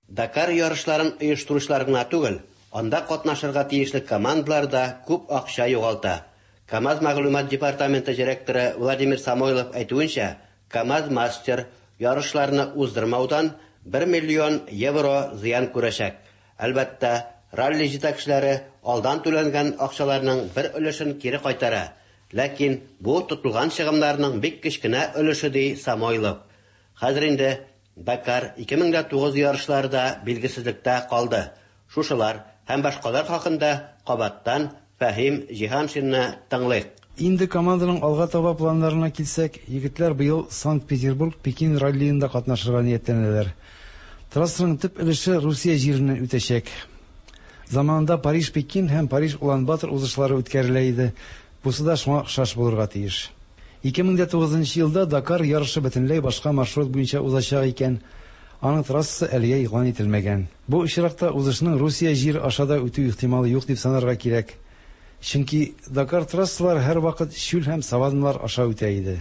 Дакар ярышларын оештыручылар гына түгел, анда катнашырга тиешле командалар да күп акча югалта. КАМАЗ мәгълүмат департаменты директоры Владимир Самойлов әйтүенчә, КАМАЗ-Мастер ярышларны уздырмаудан 1 миллион евро зыян күрәчәк. Әлбәттә, ралли җитәкчеләре алдан түләнгән акчаларның бер өлешен кире кайтара. Ләкин бу тотылган чыгымнарның бик кечкенә өлеше, ди Самойлов. Хәзер инде Дакар 2009 ярышлары да билгесезлектә калды. Шушылар һәм башкалар хакында кабаттан Фәһим Җиһаншинны тыңлыйк. Инде команданың алга таба планнарына килсәк, егетләр быел Санкт-Петербург-Пекин раллиенда катнашырга ниятләнәләр. Трассаның төп өлеше Русия җиреннән үтәчәк. Заманында Париж-Пекин һәм Париж-Улан-Батор узышлары үткәрелә иде. Бусы да шуңа охшаш булырга тиеш. 2009 елда Дакар ярышы бөтенләй башка маршрут буенча узачак икән. Аның трассасы әлегә игълан ителмәгән. Бу очракта узышның Русия җире аша да үтү ихтималы юк дип санарга кирәк. Чөнки Дакар трассалары һәрвакыт чүл һәм саванналар аша үтә иде.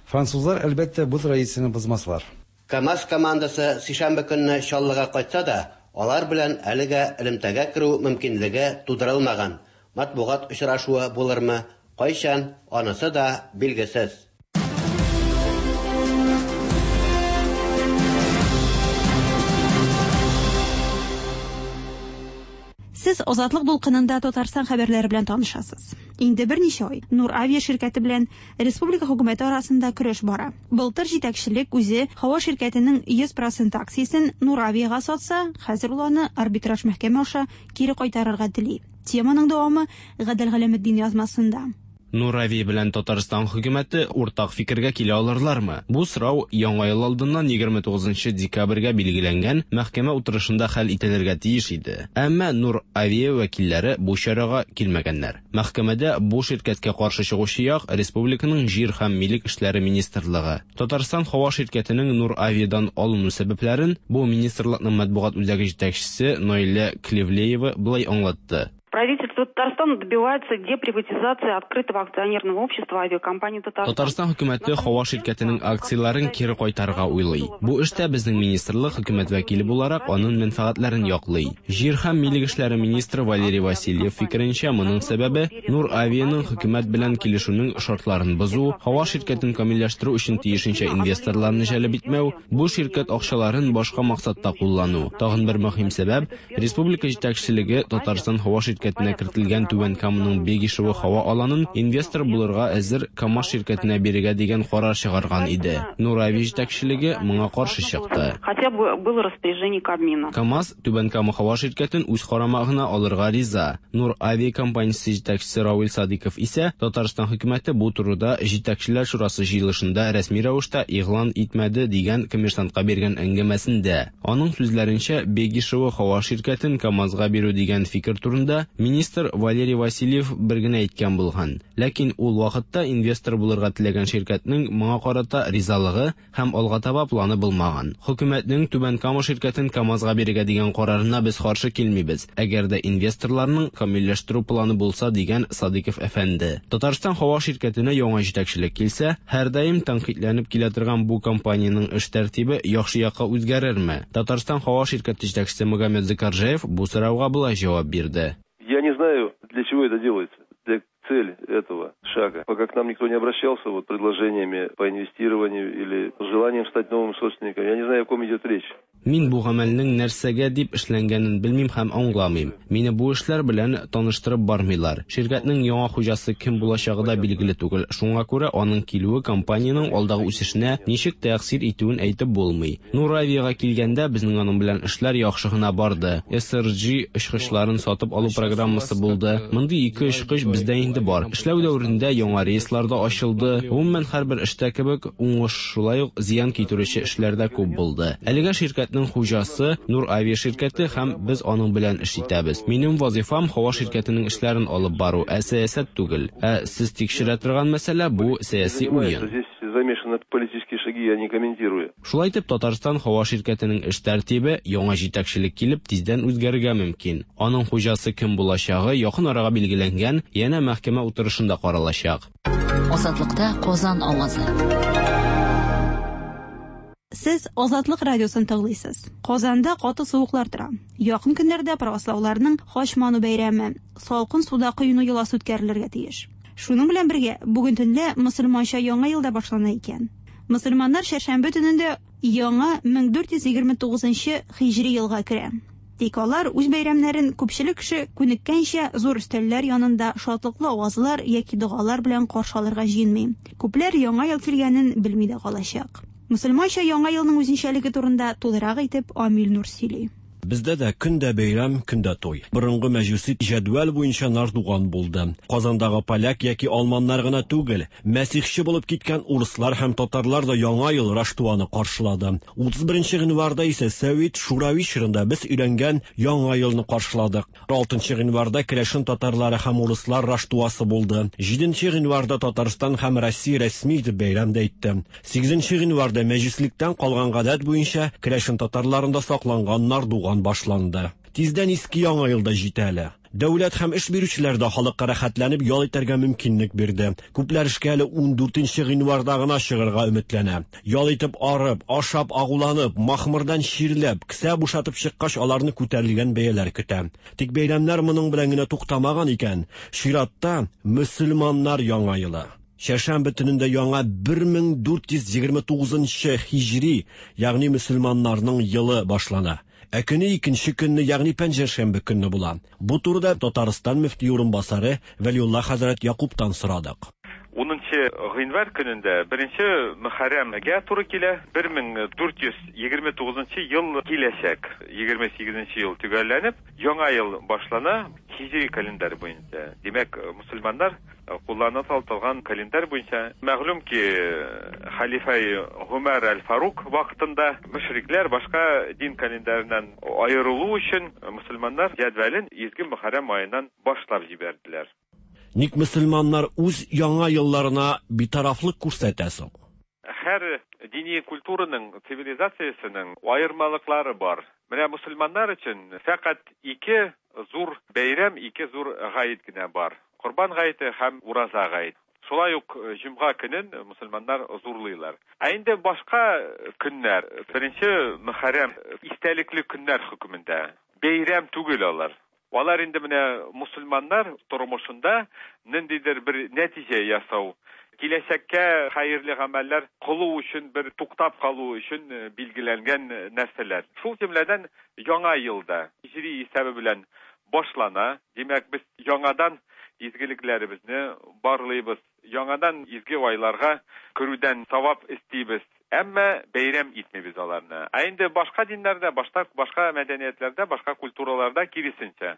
Французлар, әлбәттә, бу традицияне бозмаслар. КАМАЗ командасы сишәмбе көнне Чаллыга кайтса да, алар белән әлегә элемтәгә керү мөмкинлеге тудырылмаган. Матбугат очрашуы булырмы, кайчан, анысы да билгесез. Сез Азатлык дулкынында Татарстан хәбәрләре белән танышасыз. Инде берничә ай Нур Авиа ширкәте белән республика хөкүмәте арасында көрәш бара. Былтыр җитәкчелек үзе һава ширкәтенең 100% акциясен Нур Авиага сатса, хәзер ул аны арбитраж мәхкәмә аша кире кайтарырга тели. Теманың дәвамы Гадел Галәметдин язмасында. Нур Авиа белән Татарстан хөкүмәте уртак фикергә килә алырлармы? Бу сорау Яңа ел алдыннан 29 декабрьгә билгеләнгән мәхкәмә утырышында хәл ителергә тиеш иде. Әмма Нур Авиа вәкилләре бу чарага килмәгәннәр. Мәхкәмәдә бу ширкәткә каршы чыгучы як республиканың җир һәм милек эшләре министрлыгы. Татарстан һава ширкәтенең Нур Авиадан алыну сәбәпләрен бу министрлыкның матбугат үзәге җитәкчесе Наилә Клевлеева болай аңлатты. Правительство Татарстана добивается деприватизации открытого акционерного общества авиакомпании Татарстан. Татарстан хөкүмәте һава ширкәтенең акцияләрен кире кайтарырга уйлый. Бу эштә безнең министрлык хөкүмәт вәкиле буларак аның мәнфәгатьләрен яклый. Җир һәм милек эшләре министры Валерий Васильев фикеренчә, моның сәбәбе Нур Авианың хөкүмәт белән килешүнең шартларын бозу, һава ширкәтен камилләштерү өчен тиешенчә инвесторларны җәлеп итмәү, бу ширкәт акчаларын башка максатта куллану. Тагын бер мөһим сәбәп, республика җитәкчелеге Татарстан һава ширкәтенә кертелгән Түбән Каманың Бегишево һава аланын инвестор булырга әзер КАМАЗ ширкәтенә бирергә дигән карар чыгарган иде. Нур-Авиа җитәкчелеге моңа каршы чыкты. Хотя бы было распоряжение Кабмина. КАМАЗ Түбән Кама һава ширкәтен үз карамагына алырга риза. Нур-Авиа компаниясе җитәкчесе Равил Садыйков исә Татарстан хөкүмәте бу турыда Җитәкчеләр шурасы җыелышында рәсми рәвештә игълан итмәде дигән Коммерсантка биргән әңгәмәсендә. Аның сүзләренчә, Бегишево һава ширкәтен КАМАЗга бирү дигән фикер турында министр Валерий Васильев бер генә әйткән булган. Ләкин ул вакытта инвестор булырга теләгән ширкәтнең моңа карата ризалыгы һәм алга таба планы булмаган. Хөкүмәтнең Түбән Кама ширкәтен КАМАЗга бирергә дигән карарына без каршы килмибез, әгәр дә инвесторларның камилләштерү планы булса, дигән Садыйков әфәнде. Татарстан һава ширкәтенә яңа җитәкчелек килсә, һәрдаим тәнкыйтьләнеп килә торган бу компаниянең эш тәртибе яхшы якка үзгәрерме? Татарстан һава ширкәте җитәкчесе Магомед Зыкаржаев бу сорауга болай җавап бирде. Я не знаю, для чего это делается, для цель этого шага. Пока к нам никто не обращался вот предложениями по инвестированию или желанием стать новым собственником, я не знаю, о ком идет речь. Мин бу гамәлнең нәрсәгә дип эшләнгәнен белмим һәм аңламыйм. Мине бу эшләр белән таныштырып бармыйлар. Ширкәтнең яңа хуҗасы кем булачагы да билгеле түгел. Шуңа күрә аның килүе компаниянең алдагы үсешенә ничек тәэсир итүен әйтеп булмый. Нур-Авиага килгәндә, безнең аның белән эшләр яхшы гына барды. SRJ очкычларын сатып алу программасы булды. Мондый ике очкыч бездә инде бар. Эшләү дәверендә яңа рейслар да ачылды. Гомумән, һәрбер эштә кебек, уңыш шулай ук зыян китерүче эшләр дә күп булды. Әлегә ширкәтнең хуҗасы Нур-Авиа ширкәте һәм без аның белән эш итәбез. Минем вазифам һава ширкәтенең эшләрен алып бару, ә сәясәт түгел. Ә сез тикшерә торган мәсьәлә бу сәяси уен. Здесь замешаны политические шаги, я не комментирую. Шулай итеп, Татарстан һава ширкәтенең эш тәртибе яңа җитәкчелек килеп тиздән үзгәрергә мөмкин. Аның хуҗасы кем булачагы якын арага билгеләнгән янә мәхкәмә утырышында каралачак. Азатлыкта Казан авазы. Сез Азатлык радиосын тыңлыйсыз. Казанда каты суыклар тора. Якын көннәрдә правослауларның Хач ману бәйрәме, салкын суда коену йоласы үткәрелергә тиеш. Шуның белән бергә, бүген төнлә мөселманча яңа ел да башлана икән. Мөселманнар чәршәмбе төнендә яңа 1429 һиҗри елга керә. Тик алар үз бәйрәмнәрен күпчелек кеше күнеккәнчә зур өстәлләр янында шатлыклы авазлар яки догалар белән каршы алырга җыенмый. Күпләр яңа ел килгәнен белми дә калачак. Мөселманча яңа елның үзенчәлеге турында тулырак итеп Амил Нур сөйли. Бездә дә көн дә бәйрәм, көн дә туй. Борынгы мәҗүси җәдвәл буенча Нардуган булды. Казандагы поляк яки алманнар гына түгел, мәсихче булып киткән урыслар һәм татарлар да Яңа ел Раштуаны каршылады. 31 гыйнварда исә Сәвит Шурави чорында без өйрәнгән Яңа елны каршыладык. 6 гыйнварда керәшен татарлары һәм урыслар Раштуасы булды. 7 гыйнварда Татарстан һәм Россия рәсми итеп бәйрәм дә итте. 8 гыйнварда мәҗүслектән калган гадәт буенча керәшен татарларында сакланган Нардуган башланды. Тиздән иске яңа ел да җитә әле. Дәүләт һәм эш бирүчеләр дә халыкка рәхәтләнеп ял итәргә мөмкинлек бирде. Күпләр эшкә әле 14 гыйнварда гына чыгарга өметләнә. Ял итеп арып, ашап агуланып, махмырдан чирләп, кесә бушатып чыккач аларны күтәрелгән бәяләр көтә. Тик бәйрәмнәр моның белән генә туктамаган икән. Чиратта мөселманнар яңа елы. Чәршәмбе төнендә яңа 1429 һиҗри, ягъни мөселманнарның елы башлана. Ә көне икенче көнне, ягъни пәнҗешәмбе көнне була. Бу турыда Татарстан мөфти урынбасары Вәлиулла хәзрәт Якубтан сорадык. 10 гыйнвар көнендә беренче Мөхәррәмгә туры килә. 1429 ел киләчәк. 28 ел төгәлләнеп, яңа ел башлана һиҗри календарь буенча. Димәк, мөселманнар куллана торган календарь буенча. Мәгълүм ки, хәлифә Гомәр әл-Фарук вакытында мөшрикләр башка дин календареннән аерылу өчен мөселманнар җәдвәлен изге Мөхәррәм аеннан башлап җибәрделәр. Ник мөселманнар үз яңа елларына битарафлык күрсәтә соң? Һәр дини культураның, цивилизациясенең аермалыклары бар. Менә мөселманнар өчен фәкать ике зур бәйрәм, ике зур гает кенә бар. Корбан гаете һәм ураза гаете. Шулай ук җомга көнен мөселманнар зурлыйлар. Ә инде башка көннәр, беренче Мөхәррәм истәлекле көннәр хөкемендә. Бәйрәм түгел алар. Алар инде менә мөселманнар тормышында ниндидер бер нәтиҗә ясау, киләчәккә хәерле гамәлләр кылу өчен бер туктап калу өчен билгеләнгән нәрсәләр. Шул җөмләдән яңа елда һиҗри исәбе белән башлана. Димәк, без яңадан изгелекләребезне барлыйбыз. Яңадан изге айларга керүдән савап эстибез. Әмма бәйрәм итмибез аларны. Ә инде башка диннәрдә, башка башка мәдәниятләрдә, башка культураларда киресенчә.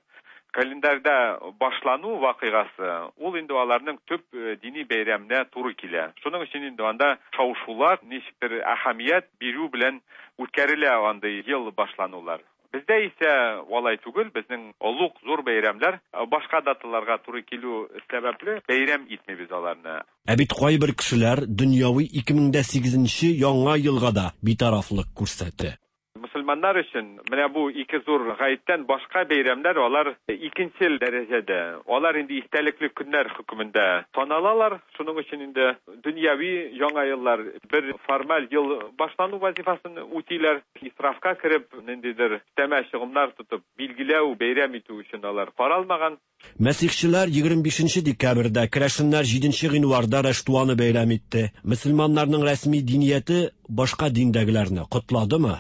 Календарьда башлану вакыйгасы ул инде аларның төп дини бәйрәменә туры килә. Шуның өчен инде анда шау-шулар, ничектер әһәмият бирү белән үткәрелә андый ел башланулар. Бездә исә алай түгел, безнең олуг зур бәйрәмнәр башка даталарга туры килү сәбәпле бәйрәм итмибез аларны. Ә бит кайбер кешеләр дөньяви 2008 нче Яңа елга да битарафлык күрсәтте. Мөселманнар өчен менә бу ике зур гаеттән башка бәйрәмнәр алар икенчел дәрәҗәдә. Алар инде истәлекле көннәр хөкемендә саналалар. Шуның өчен инде дөньяви Яңа еллар бер формаль ел башлану вазифасын үтиләр. Исрафка кереп, ниндидер өстәмә чыгымнар тотып билгеләү, бәйрәм итү өчен алар каралмаган. Мәсихчеләр 25 нче декабрьдә, керәшеннәр 7 нче гыйнварда Раштуаны бәйрәм итте. Мөселманнарның рәсми динияте башка диндәгеләрне котладымы?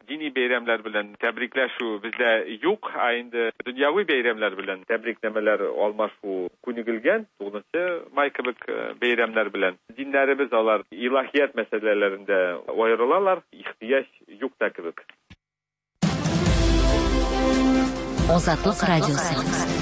Дини бәйрәмнәр белән тәбрикләшү бездә юк, ә инде дөньяви бәйрәмнәр белән тәбрикнамәләр алмашу күнегелгән, 9 май кебек бәйрәмнәр белән. Диннәребез алар илаһият мәсьәләләрендә аерылалар, ихтыяҗ юк та кебек. Азатлык радиосы.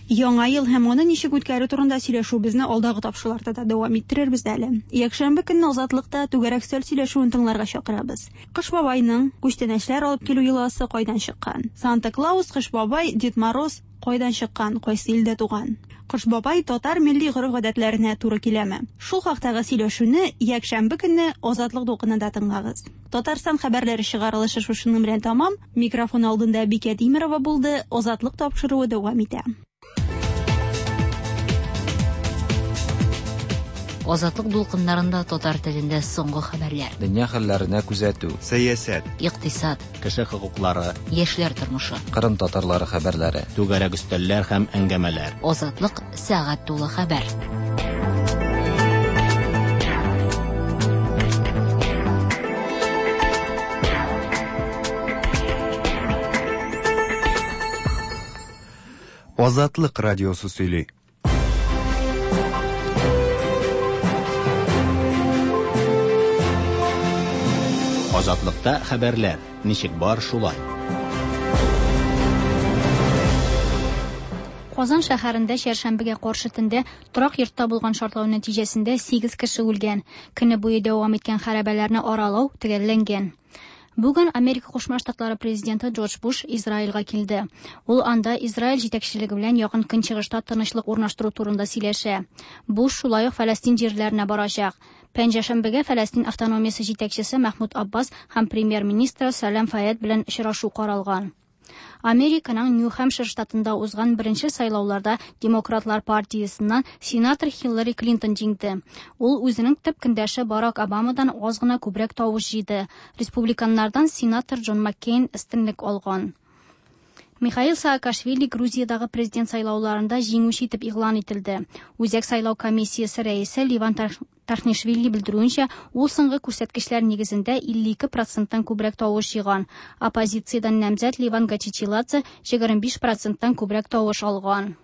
Яңа ел һәм аны ничек үткәрү турында сөйләшүебезне алдагы тапшыруларда да дәвам иттерербез әле. Якшәмбе көнне Азатлыкта түгәрәк өстәл сөйләшүен тыңларга чакырабыз. Кыш бабайның күчтәнәчләр алып килү йоласы кайдан чыккан? Санта Клаус, Кыш бабай, Дед Мороз кайдан чыккан, кайсы илдә туган? Кыш бабай татар милли гореф-гадәтләренә туры киләме? Шул хактагы сөйләшүне якшәмбе көнне Азатлык дулкынында тыңлагыз. Татарстан хәбәрләре чыгарылышы шушының белән тәмам. Микрофон алдында Бикә Тимерова булды. Азатлык тапшыруы дәвам итә. Азатлык дулкыннарында татар телендә соңгы хәбәрләр. Дөнья хәлләренә күзәтү. Сәясәт. Икътисад. Кеше хокуклары. Яшьләр тормышы. Кырым татарлары хәбәрләре. Түгәрәк өстәлләр һәм әңгәмәләр. Азатлык сәгать тулы хәбәр. Азатлык радиосы сөйли. Азатлыкта хәбәрләр ничек бар шулай. Казан шәһәрендә чәршәмбегә каршы төндә торак йортта булган шартлау нәтиҗәсендә 8 кеше үлгән. Көне буе дәвам иткән хәрабәләрне аралау төгәлләнгән. Бүген Америка Кушма Штатлары президенты Джордж Буш Израильгә килде. Ул анда Израиль җитәкчелеге белән Якын Көнчыгышта тынычлык урнаштыру турында сөйләшә. Буш шулай ук Фәләстин җирләренә барачак. Пәнҗешәмбегә Фәләстин автономиясе җитәкчесе Мәхмүд Аббас һәм премьер-министры Сәлам Фаяд белән очрашу каралган. Американың Нью-Хэмпшир штатында узган беренче сайлауларда Демократлар партиясеннән сенатор Хиллари Клинтон җиңде. Ул үзенең төп көндәше Барак Обамадан аз гына күбрәк тавыш җыйды. Республиканнардан сенатор Джон Маккейн өстенлек алган. Михаил Саакашвили Грузиядагы президент сайлауларында җиңүче итеп игълан ителде. Үзәк сайлау комиссиясе рәисе Ливан Тархнишвили белдерүенчә, ул соңгы күрсәткечләр нигезендә 52 проценттан күбрәк тавыш җыйган. Оппозициядән намзәт Ливан Гачичиладзе 25 проценттан күбрәк тавыш алган.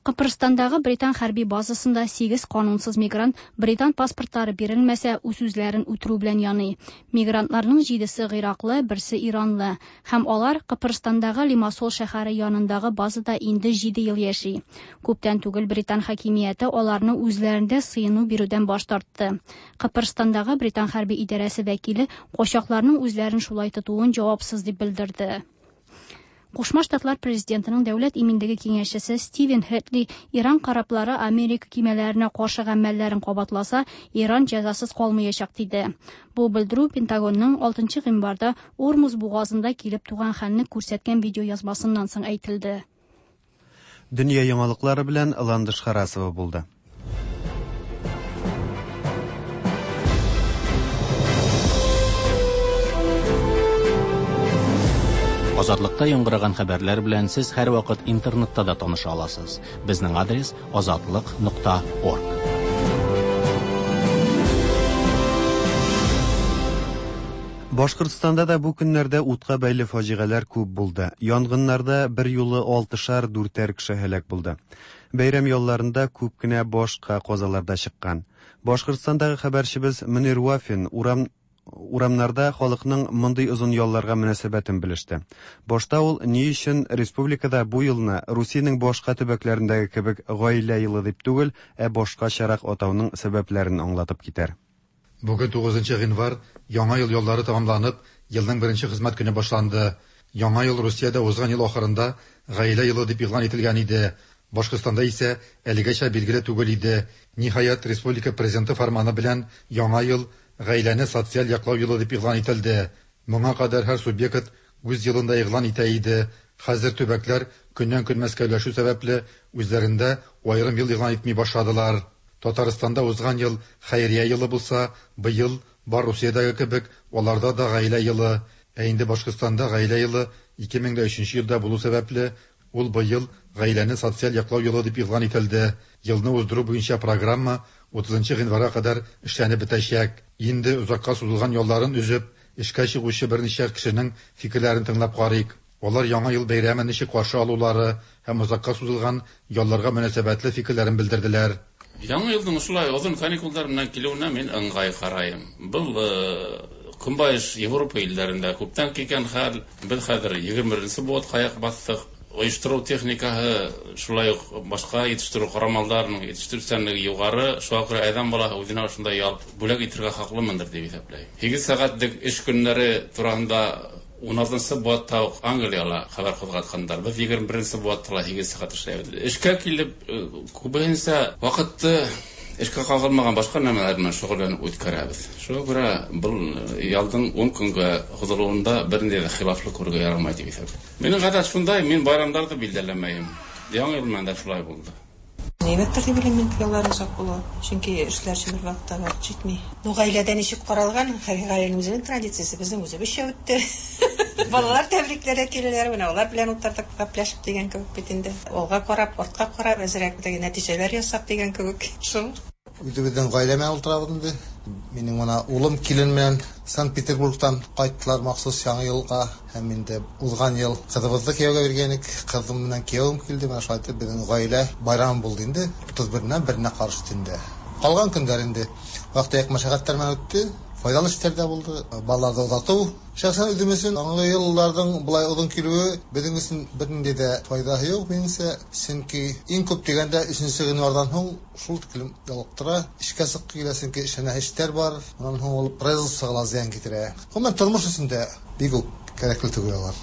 Кыпрыстандагы британ хәрби базасында 8 канунсыз мигрант британ паспортлары бирелмәсә, үз-үзләрен үтерү белән яный. Мигрантларның җидесе гыйраклы, берсе иранлы. Һәм алар Кыпрыстандагы Лимассол шәһәре янындагы базада инде 7 ел яши. Күптән түгел британ хакимияте аларны үзләрендә сыену бирүдән баш тартты. Кыпрыстандагы британ хәрби идарәсе вәкиле качакларның үзләрен шулай тотуын җавапсыз дип белдерде. Кушма Штатлар президентының дәүләт иминлеге киңәшчесе Стивен Хэтли Иран кораблары Америка кимәләренә каршы гамәлләрен кабатласа, Иран җәзасыз калмаячак диде. Бу белдерү Пентагонның 6 гыйнварда Ормуз бугазында килеп туган хәлне күрсәткән видеоязмасыннан соң әйтелде. Дөнья яңалыклары белән Ландыш Харасова булды. Азатлыкта яңгыраган хәбәрләр белән сез һәрвакыт интернетта да таныша аласыз. Безнең адрес azatliq.org. Башкортстанда да бу көннәрдә утка бәйле фаҗигаләр күп булды. Янгыннарда берьюлы алтышар, дүртәр кеше һәлак булды. Бәйрәм ялларында күп кенә башка казалар да чыккан. Башкортстандагы хәбәрчебез Мөнир Вафин урам урамнарда халыкның мондый озын ялларга мөнәсәбәтен белеште. Башта ул ни өчен республикада бу елны Русиянең башка төбәкләрендәге кебек Гаилә елы дип түгел, ә башкачарак атауның сәбәпләрен аңлатып китәр. Бүген 9 гыйнвар, Яңа ел яллары тәмамланып, елның беренче хезмәт көне башланды. Яңа ел Русиядә узган ел ахырында Гаилә елы дип игълан ителгән иде. Башкортстанда исә әлегәчә билгеле түгел иде. Ниһаять, республика Президенты фәрманы белән Яңа ел Гаиләне социаль яклау елы дип игълан ителде. Моңа кадәр һәр субъект үз елын да игълан итә иде. Хәзер төбәкләр көннән-көн мәскәүләшү сәбәпле, үзләрендә аерым ел игълан итми башладылар. Татарстанда узган ел Хәйрия елы булса, быел, бар Русиядәге кебек, аларда да Гаилә елы. Ә инде Башкортстанда Гаилә елы 2003 елда булу сәбәпле, ул быел Гаиләне социаль яклау елы дип игълан ителде. Елны уздыру буенча программа 30 гыйнварга кадәр эшләнеп бетәчәк. Инде озакка сузылган ялларын өзеп, эшкә чыгучы берничә кешенең фикерләрен тыңлап карыйк. Алар Яңа ел бәйрәмен ничек каршы алулары һәм озакка сузылган ялларга мөнәсәбәтле фикерләрен белдерделәр. Яңа елның шулай озын каникулдар менән килүенә мин ыңгай карайым. Был Көнбайыш Европа илләрендә күптән килгән хәл. Без хәзер 21 быуатка аяк бастык. Оештыру техникаһы, шулай ук башка җитештерү корамалдарының җитештерүчәнлеге югары. Шуңа күрә адәм балаһы үзенә шундай ял бүләк итәргә хаклымындыр дип исәпләйм. 8 сәгатьлек эш көннәре турында 16 быуатта ук Англияла хәбәр кузгатканнар. Без 21 быуатта ла 8 сәгать эшләйбез. Эшкә килеп, күбесенчә вакытты эшкә кагылмаган башка нәмәләр белән шөгыльләнеп үткәрәбез. Шуңа күрә был ялдың 10 көнгә һузылуында бернинди дә хилафлык күрергә ярамай дип исәплим. Минем гадәт шундай, мин байрамнарны билдәләмәйем. Яңа ел белән дә шулай булды. Әйбәттер дип уйлыйм мин, яллар озак булу. Чөнки эшләр өчен бер вакытта вакыт җитми. Ну, гаиләдә ничек каралган, һәр гаиләнең үзенең традициясе, безнең үзебезчә үтте. Балалар тәбрикләргә киләләр, менә алар белән утырдык, гәпләшеп дигән кебек бит инде. Алга карап, артка карап, әзрәк теге нәтиҗәләр ясап дигән кебек. Шул. Үзебезнең гаилә белән утырабыз инде. Минем менә улым килен белән Санкт-Петербургтан кайттылар махсус Яңа елга. Һәм инде узган ел кызыбызны кияүгә биргән идек. Кызым белән киявем килде. Менә шулай итеп безнең гаилә байрамы булды инде. 31-ннән беренә каршы төндә. Калган көннәр инде вак-төяк мәшәкатьләр белән үтте. Файдалы эшләр дә булды. Балаларны озату. Шәхсән үзем өчен Яңа елларның болай озын килүе безнең өчен бернинди дә файдасы юк, минемчә. Чөнки иң күп дигәндә өченче гыйнвардан һуң шул тиклем ялыктыра, эшкә чыккы килә, чөнки эшләнә эшләр бар. Аннан һуң ул производствога ла зыян китерә. Гомумән, тормыш өчен дә бик үк кирәкле түгел алар.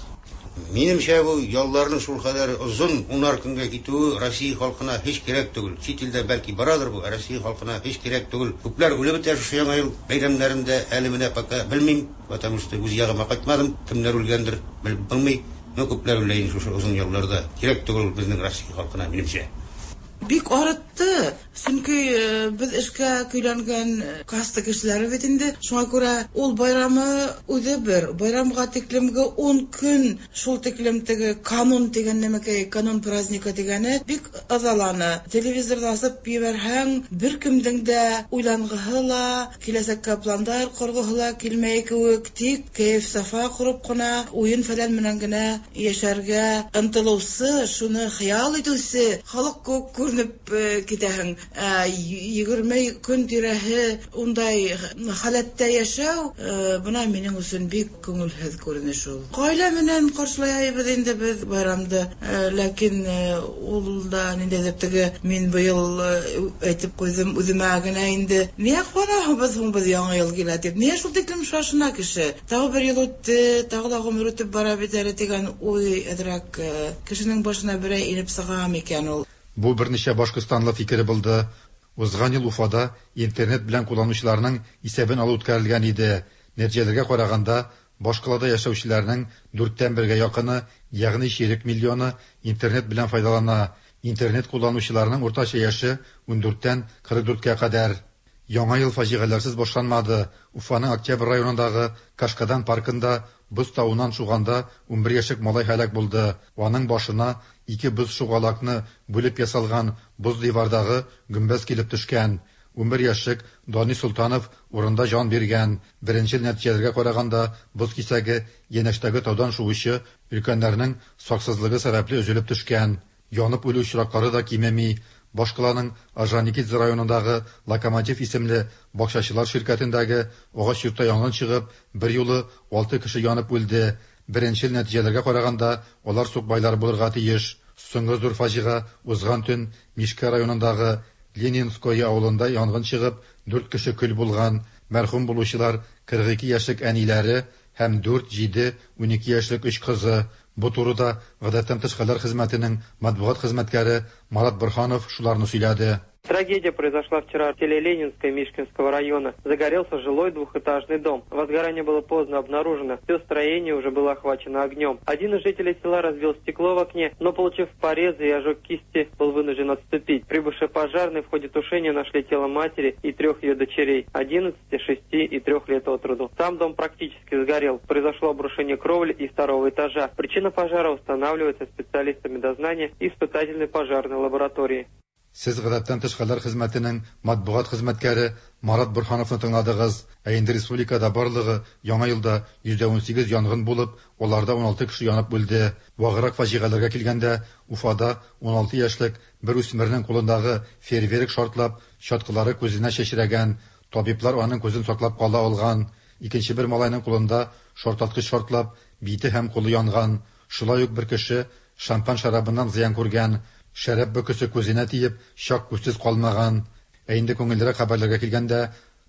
Минемчә, бу ялларның шулкадәр озын, унар көнгә китүе Россия халкына һич кирәк түгел. Чит илдә, бәлки, барадыр бу, ә Россия халкына һич кирәк түгел. Күпләр үлеп бетә шушы Яңа ел бәйрәмнәрендә, әле менә пока белмим, потому что үз ягыма кайтмадым, кемнәр үлгәндер, белеп булмый. Но күпләр үлә инде шушы озын ялларда. Кирәк түгел ул безнең Россия халкына, минемчә. Бик арытты, чөнки без эшкә көйләнгән каста кешеләре бит инде. Шуңа күрә ул байрамы үзе бер, байрамга тиклемге ун көн шул тиклем теге канун дигән нәмәкәй, канун праздника дигәне бик ызаланы. Телевизорны асып җибәрһәң, беркемнең дә уйлангыһы ла, киләчәккә пландар коргыһы ла килмәй кебек, тик кәеф-сафа корып кына, уен-фәлән белән генә яшәргә ынтылучы, шуны хыял итүче халык күк күренеп китәһең. Ә 20 көн тирәһе ундай халәттә яшәү, бына минем өчен бик күңелһез күренеш ул. Гаилә менән каршылайбыз инде без байрамды, ләкин ул да ниндәйдер теге мин быел әйтеп куйдым үземә генә инде. Нигә куанабыз һуң без Яңа ел килә дип? Нигә шул тиклем шашына кеше? Тагы бер ел үтте, тагы да гомер үтеп бара бит әле дигән уй әзрәк кешенең башына берәй инеп чыга микән ул? Бу берничә башкортстанлы фикере булды. Узган ел Уфада интернет белән кулланучыларның исәбен алу үткәрелгән иде. Нәтиҗәләргә караганда, башкалада яшәүчеләрнең дүрттән бергә якыны, ягъни чирек миллионы интернет белән файдалана. Интернет кулланучыларның уртача яше 14-тән 44-кә кадәр. Яңа ел фаҗигаләрсез башланмады. Уфаның Октябрь районындагы Кашкадан паркында боз тавыннан шуганда 11 яшьлек малай һәлак булды. Аның башына ике боз шугалакны бүлеп ясалган боз дивардагы гөмбәз килеп төшкән. 11 яшьлек Данис Солтанов урында җан биргән. Беренчел нәтиҗәләргә караганда, боз кисәге янәшәдәге таудан шуучы өлкәннәрнең саксызлыгы сәбәпле өзелеп төшкән. Янып үлү очраклары да кимеми. Башкаланың Орджоникидзе районындагы Локомотив исемле бакчачылар ширкәтендәге агач йортта янгын чыгып, берьюлы алты кеше янып үлде. Беренчел нәтиҗәләргә караганда, алар сукбайлар булырга тиеш. Соңгы зур фаҗига узган төн Мишкә районындагы Ленинское авылында янгын чыгып, дүрт кеше көл булган. Мәрхүм булучылар 42 яшьлек әниләре һәм 4, 7, 12 яшьлек өч кызы. Бу турыда Гадәттән тыш хәлләр хезмәтенең матбугат хезмәткәре Марат Борһанов шуларны сөйләде. Трагедия произошла вчера в селе Ленинское Мишкинского района. Загорелся жилой двухэтажный дом. Возгорание было поздно обнаружено. Все строение уже было охвачено огнем. Один из жителей села разбил стекло в окне, но, получив порезы и ожог кисти, был вынужден отступить. Прибывшие пожарные в ходе тушения нашли тело матери и трех ее дочерей – 11, 6 и 3 лет от роду. Сам дом практически сгорел. Произошло обрушение кровли и второго этажа. Причина пожара устанавливается специалистами дознания и испытательной пожарной лаборатории. Сез Гадәттән тыш хәлләр хезмәтенең матбугат хезмәткәре Марат Борһановны тыңладыгыз. Ә инде республикада барлыгы яңа елда 118 янгын булып, аларда 16 кеше янып үлде. Ваграк фаҗигаләргә килгәндә, Уфада 16 яшьлек бер үсмернең кулындагы фейерверк шартлап, чаткылары күзенә чәчрәгән. Табиблар аның күзен саклап кала алган. Икенче бер малайның кулында шартлаткыч шартлап, бите һәм кулы янган. Шулай ук бер кеше шампан шәрабыннан зыян күргән. Шәраб бөкесе күзенә тиеп, чак күзсез калмаган. Ә инде күңеллерәк хәбәрләргә килгәндә,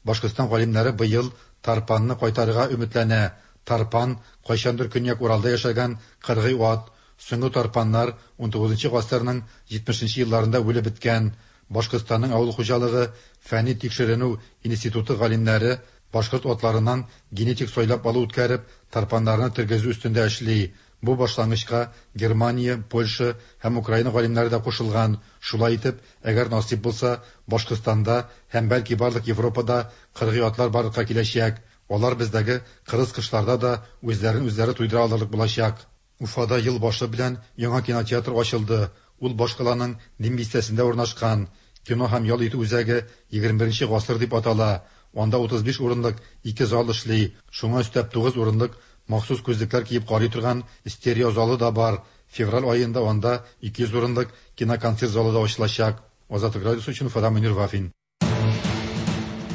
Башкортстан галимнәре быел тарпанны кайтарырга өметләнә. Тарпан кайчандыр Көньяк Уралда яшәгән кыргый ат. Соңгы тарпаннар 19 гасырның 70 нче елларында үлеп беткән. Башкортстанның авыл хуҗалыгы фәнни тикшеренү институты галимнәре башкорт атларыннан генетик сайлап алу үткәреп, тарпаннарны тергезү өстендә эшли. Бу башлангычка Германия, Польша һәм Украина галимнәре дә кушылган. Шулай итеп, әгәр насыйп булса, Башкортстанда һәм бәлки барлык Европада кыргый атлар барлыкка киләчәк. Алар бездәге кырыс кышларда да үзләрен үзләре туйдыра алырлык булачак. Уфада ел башы белән яңа кинотеатр ачылды. Ул башкаланың Дим бистәсендә урнашкан. Кино һәм ял итү үзәге 21 гасыр дип атала. Анда 35 урынлык ике зал эшли. Шуңа өстәп 9 урынлык махсус күзлекләр киеп карый торган стерео залы да бар. Февраль аенда анда 200 урынлык киноконцерт залы да ачылачак. Азатлык радиосы өчен Уфадан Мөнир Вафин.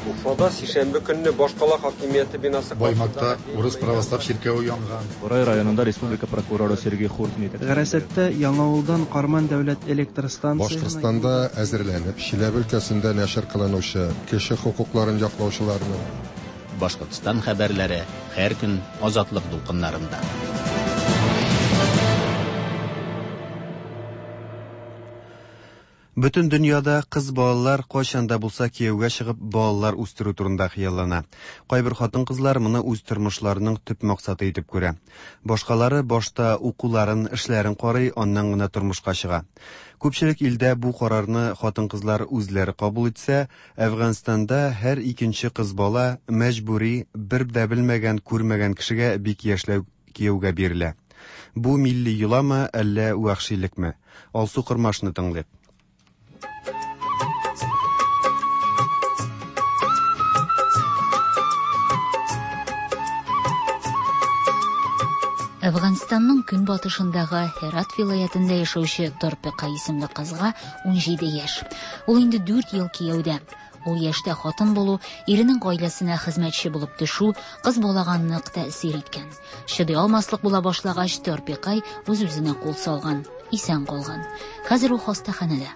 Уфада сишәмбе көнне башкала хакимияте бинасы Баймакта урыс православ чиркәве янган. Борай районында республика прокуроры Сергей Хуртин итәкчелегендәге. Гарәсәттә Яңавылдан Карман дәүләт электр станциясенә Башкортстанда әзерләнеп, Чиләбе өлкәсендә нәшер кылынучы кеше хокукларын яклаучыларның, Башкортстан хәбәрләре һәр көн Азатлык дулкыннарында. Бөтен дөньяда кыз балалар кайчан да булса кияүгә чыгып балалар үстерү турында хыяллана. Кайбер хатын-кызлар моны үз тормышларының төп максаты итеп күрә. Башкалары башта укуларын, эшләрен карый, аннан гына тормышка чыга. Күпчелек илдә бу карарны хатын-кызлар үзләре кабул итсә, Әфганстанда һәр икенче кыз бала мәҗбүри, бер дә белмәгән, күрмәгән кешегә бик яшьләй кияүгә бирелә. Бу милли йоламы, әллә вәхшилекме? Алсу Кормашны тыңлыйк. Әфганстанның көнбатышындагы Һерат вилаятендә яшәүче Торпека исемле кызга 17 яшь. Ул инде 4 ел кияүдә. Ул яшьтә хатын булу, иренең гаиләсенә хезмәтче булып төшү кыз балага нык тәэсир иткән. Чыдый алмаслык була башлагач, Торпекай үз-үзенә кул салган, исән калган. Хәзер ул хастаханәдә.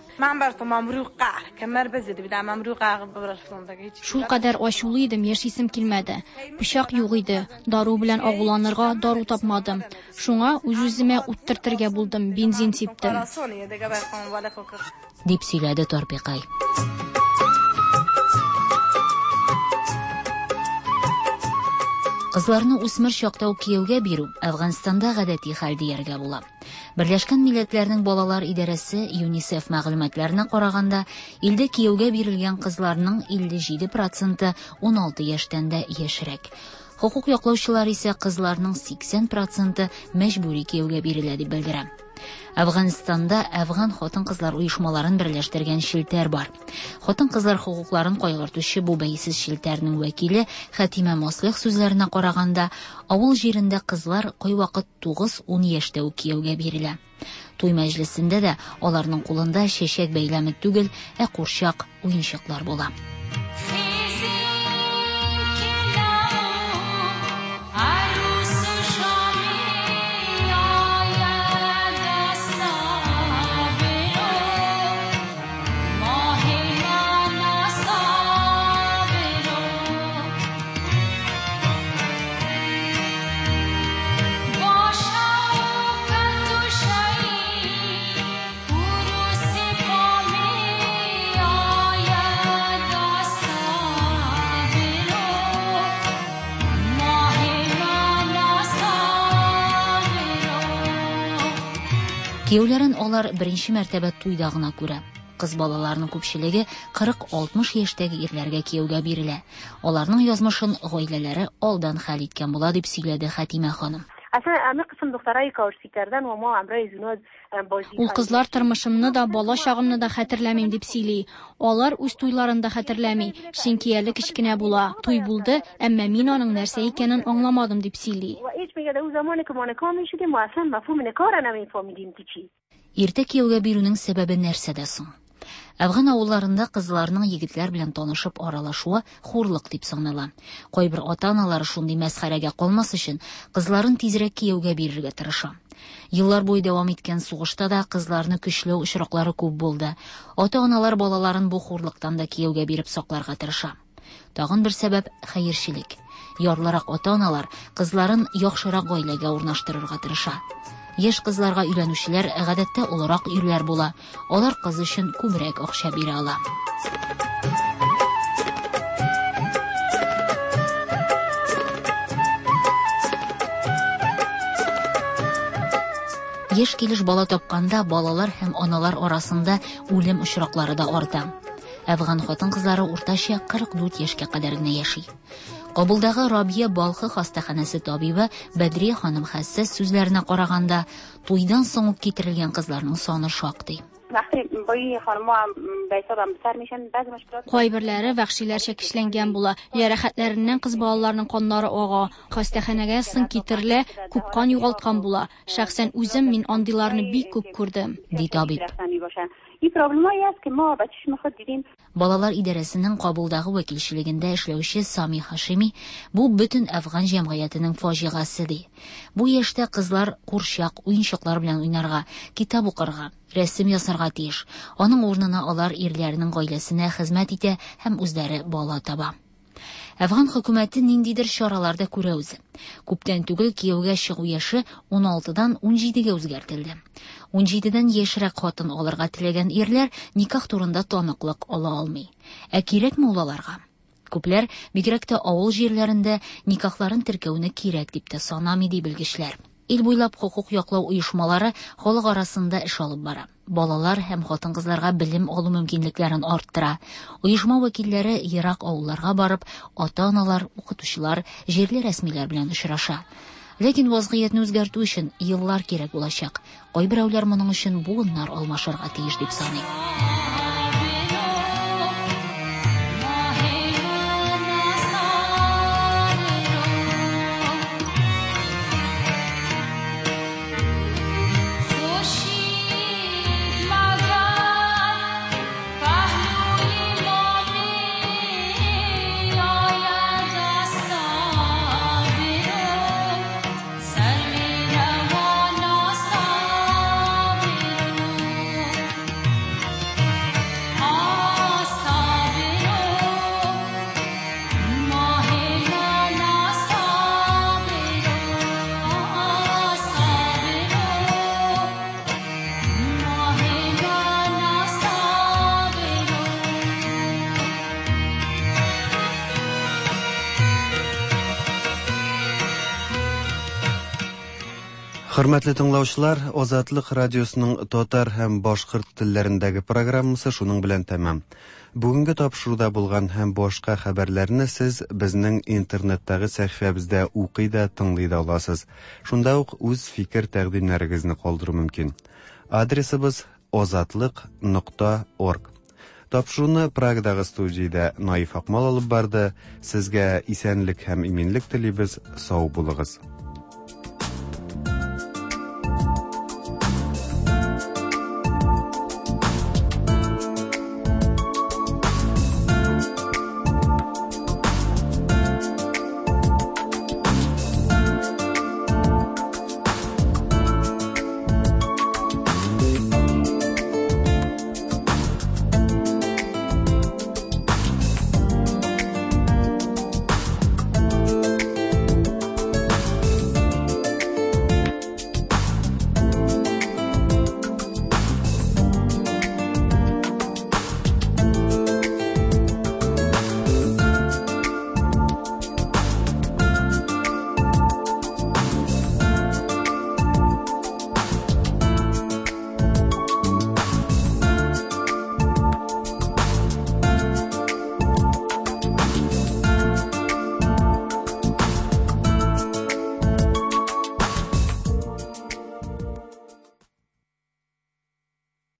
Шулкадәр ачулы идем, яшисем килмәде. Пычак юк иде, дару белән агуланырга дару тапмадым. Шуңа үз-үземә ут төртергә булдым, бензин сиптем. Дип сөйләде Торпекай. Кызларны үсмер чакта ук кияүгә бирү Әфганстанда гадәти хәл дияргә була. Берләшкән Милләтләрнең балалар идарәсе ЮНИСЕФ мәгълүматларына караганда, илдә кияүгә бирелгән кызларның 57 проценты 16 яшьтән дә яшьрәк. Хокук яклаучылар исә кызларның 80 проценты мәҗбүри кияүгә бирелә дип белдерә. Әфганстанда әфган хатын-кызлар оешмаларын берләштергән челтәр бар. Хатын-кызлар хокукларын кайгыртучы бу бәйсез челтәрнең вәкиле Хәтимә Мослих сүзләренә караганда, авыл җирендә кызлар кайвакыт 9-10 яшьтә үк кияүгә бирелә. Туй мәҗлесендә дә аларның кулында чәчәк бәйләме түгел, ә курчак, уенчыклар була. Кияүләрен алар беренче мәртәбә туйда гына күрә. Кыз балаларның күпчелеге 40-60 яшьтәге ирләргә кияүгә бирелә. Аларның язмышын гаиләләре алдан хәл иткән була, дип сөйләде Хәтимә ханым. Ул кызлар тормышымны да, бала чагымны да хәтерләмим дип сөйли. Алар үз туйларын да хәтерләми, чөнки әле кечкенә була. Туй булды, әмма мин аның нәрсә икәнен аңламадым дип сөйли. Иртә кияүгә бирүнең сәбәбе нәрсәдә соң? Әфган авылларында кызларның егетләр белән танышып аралашуы хурлык дип санала. Кайбер ата-аналар шундый мәсхәрәгә калмас өчен кызларын тизрәк кияүгә бирергә тырыша. Еллар буе дәвам иткән сугышта да кызларны көчләү очраклары күп булды. Ата-аналар балаларын бу хурлыктан да кияүгә биреп сакларга тырыша. Тагын бер сәбәп хәерчелек. Ярлырак ата-аналар кызларын яхшырак гаиләгә урнаштырырга тырыша. Яшь кызларга өйләнүчеләр гадәттә олырак ирләр була. Алар кыз өчен күбрәк акча бирә ала. Яшь килеш бала тапканда балалар һәм аналар арасында үлем очраклары да арта. Әфган хатын-кызлары уртача 44 яшькә кадәр генә яши. Кабулдагы Рабия Балхы хастаханәсе табибы Бәдрия ханым Хәссәс сүзләренә караганда, туйдан соң ук китерелгән кызларның саны шактый. Кайберләре вәхшиләрчә көчләнгән була. Җәрәхәтләреннән кыз балаларның каннары ага. Хастаханәгә соң китерелә, күп кан югалткан була. Шәхсән үзем мин андыйларны бик күп күрдем, ди табиб. Балалар идарәсенең Кабулдагы вәкилчелегендә эшләүче Сами Хашими бу бөтен әфган җәмгыятенең фаҗигасе ди. Бу яшьтә кызлар курчак, уенчыклар белән уйнарга, китап укырга, рәсем ясарга тиеш. Аның урынына алар ирләренең гаиләсенә хезмәт итә һәм үзләре бала таба. Әфган хөкүмәте ниндидер чаралар да күрә үзе. Күптән түгел кияүгә чыгу яше 16-дан 17-гә үзгәртелде. 17-дән яшьрәк хатын алырга теләгән ирләр никах турында таныклык ала алмый. Ә кирәкме ул аларга? Күпләр, бигрәк тә авыл җирләрендә, никахларын теркәүне кирәк дип тә санамый, ди белгечләр. Ил буйлап хокук яклау оешмалары халык арасында эш алып бара. Балалар һәм хатын-кызларга белем алу мөмкинлекләрен арттыра. Оешма вәкилләре ерак авылларга барып, ата-аналар, укытучылар, җирле рәсмиләр белән очраша. Ләкин вазгыятьне үзгәртү өчен еллар кирәк булачак. Кайберәүләр моның өчен буыннар алмашырга тиеш дип саный. Хөрмәтле тыңлаучылар, Азатлык радиосының татар һәм башкорт телләрендәге программасы шуның белән тәмам. Бүгенге тапшыруда булган һәм башка хәбәрләрне сез безнең интернеттагы сәхифәбездә укый да, тыңлый да аласыз. Шунда ук үз фикер-тәкъдимнәрегезне калдыру мөмкин. Адресыбыз озатлык нокта орг. Тапшыруны Прагадагы студиядә Наиф Акмал алып барды. Сезгә исәнлек һәм иминлек телибез. Сау булыгыз.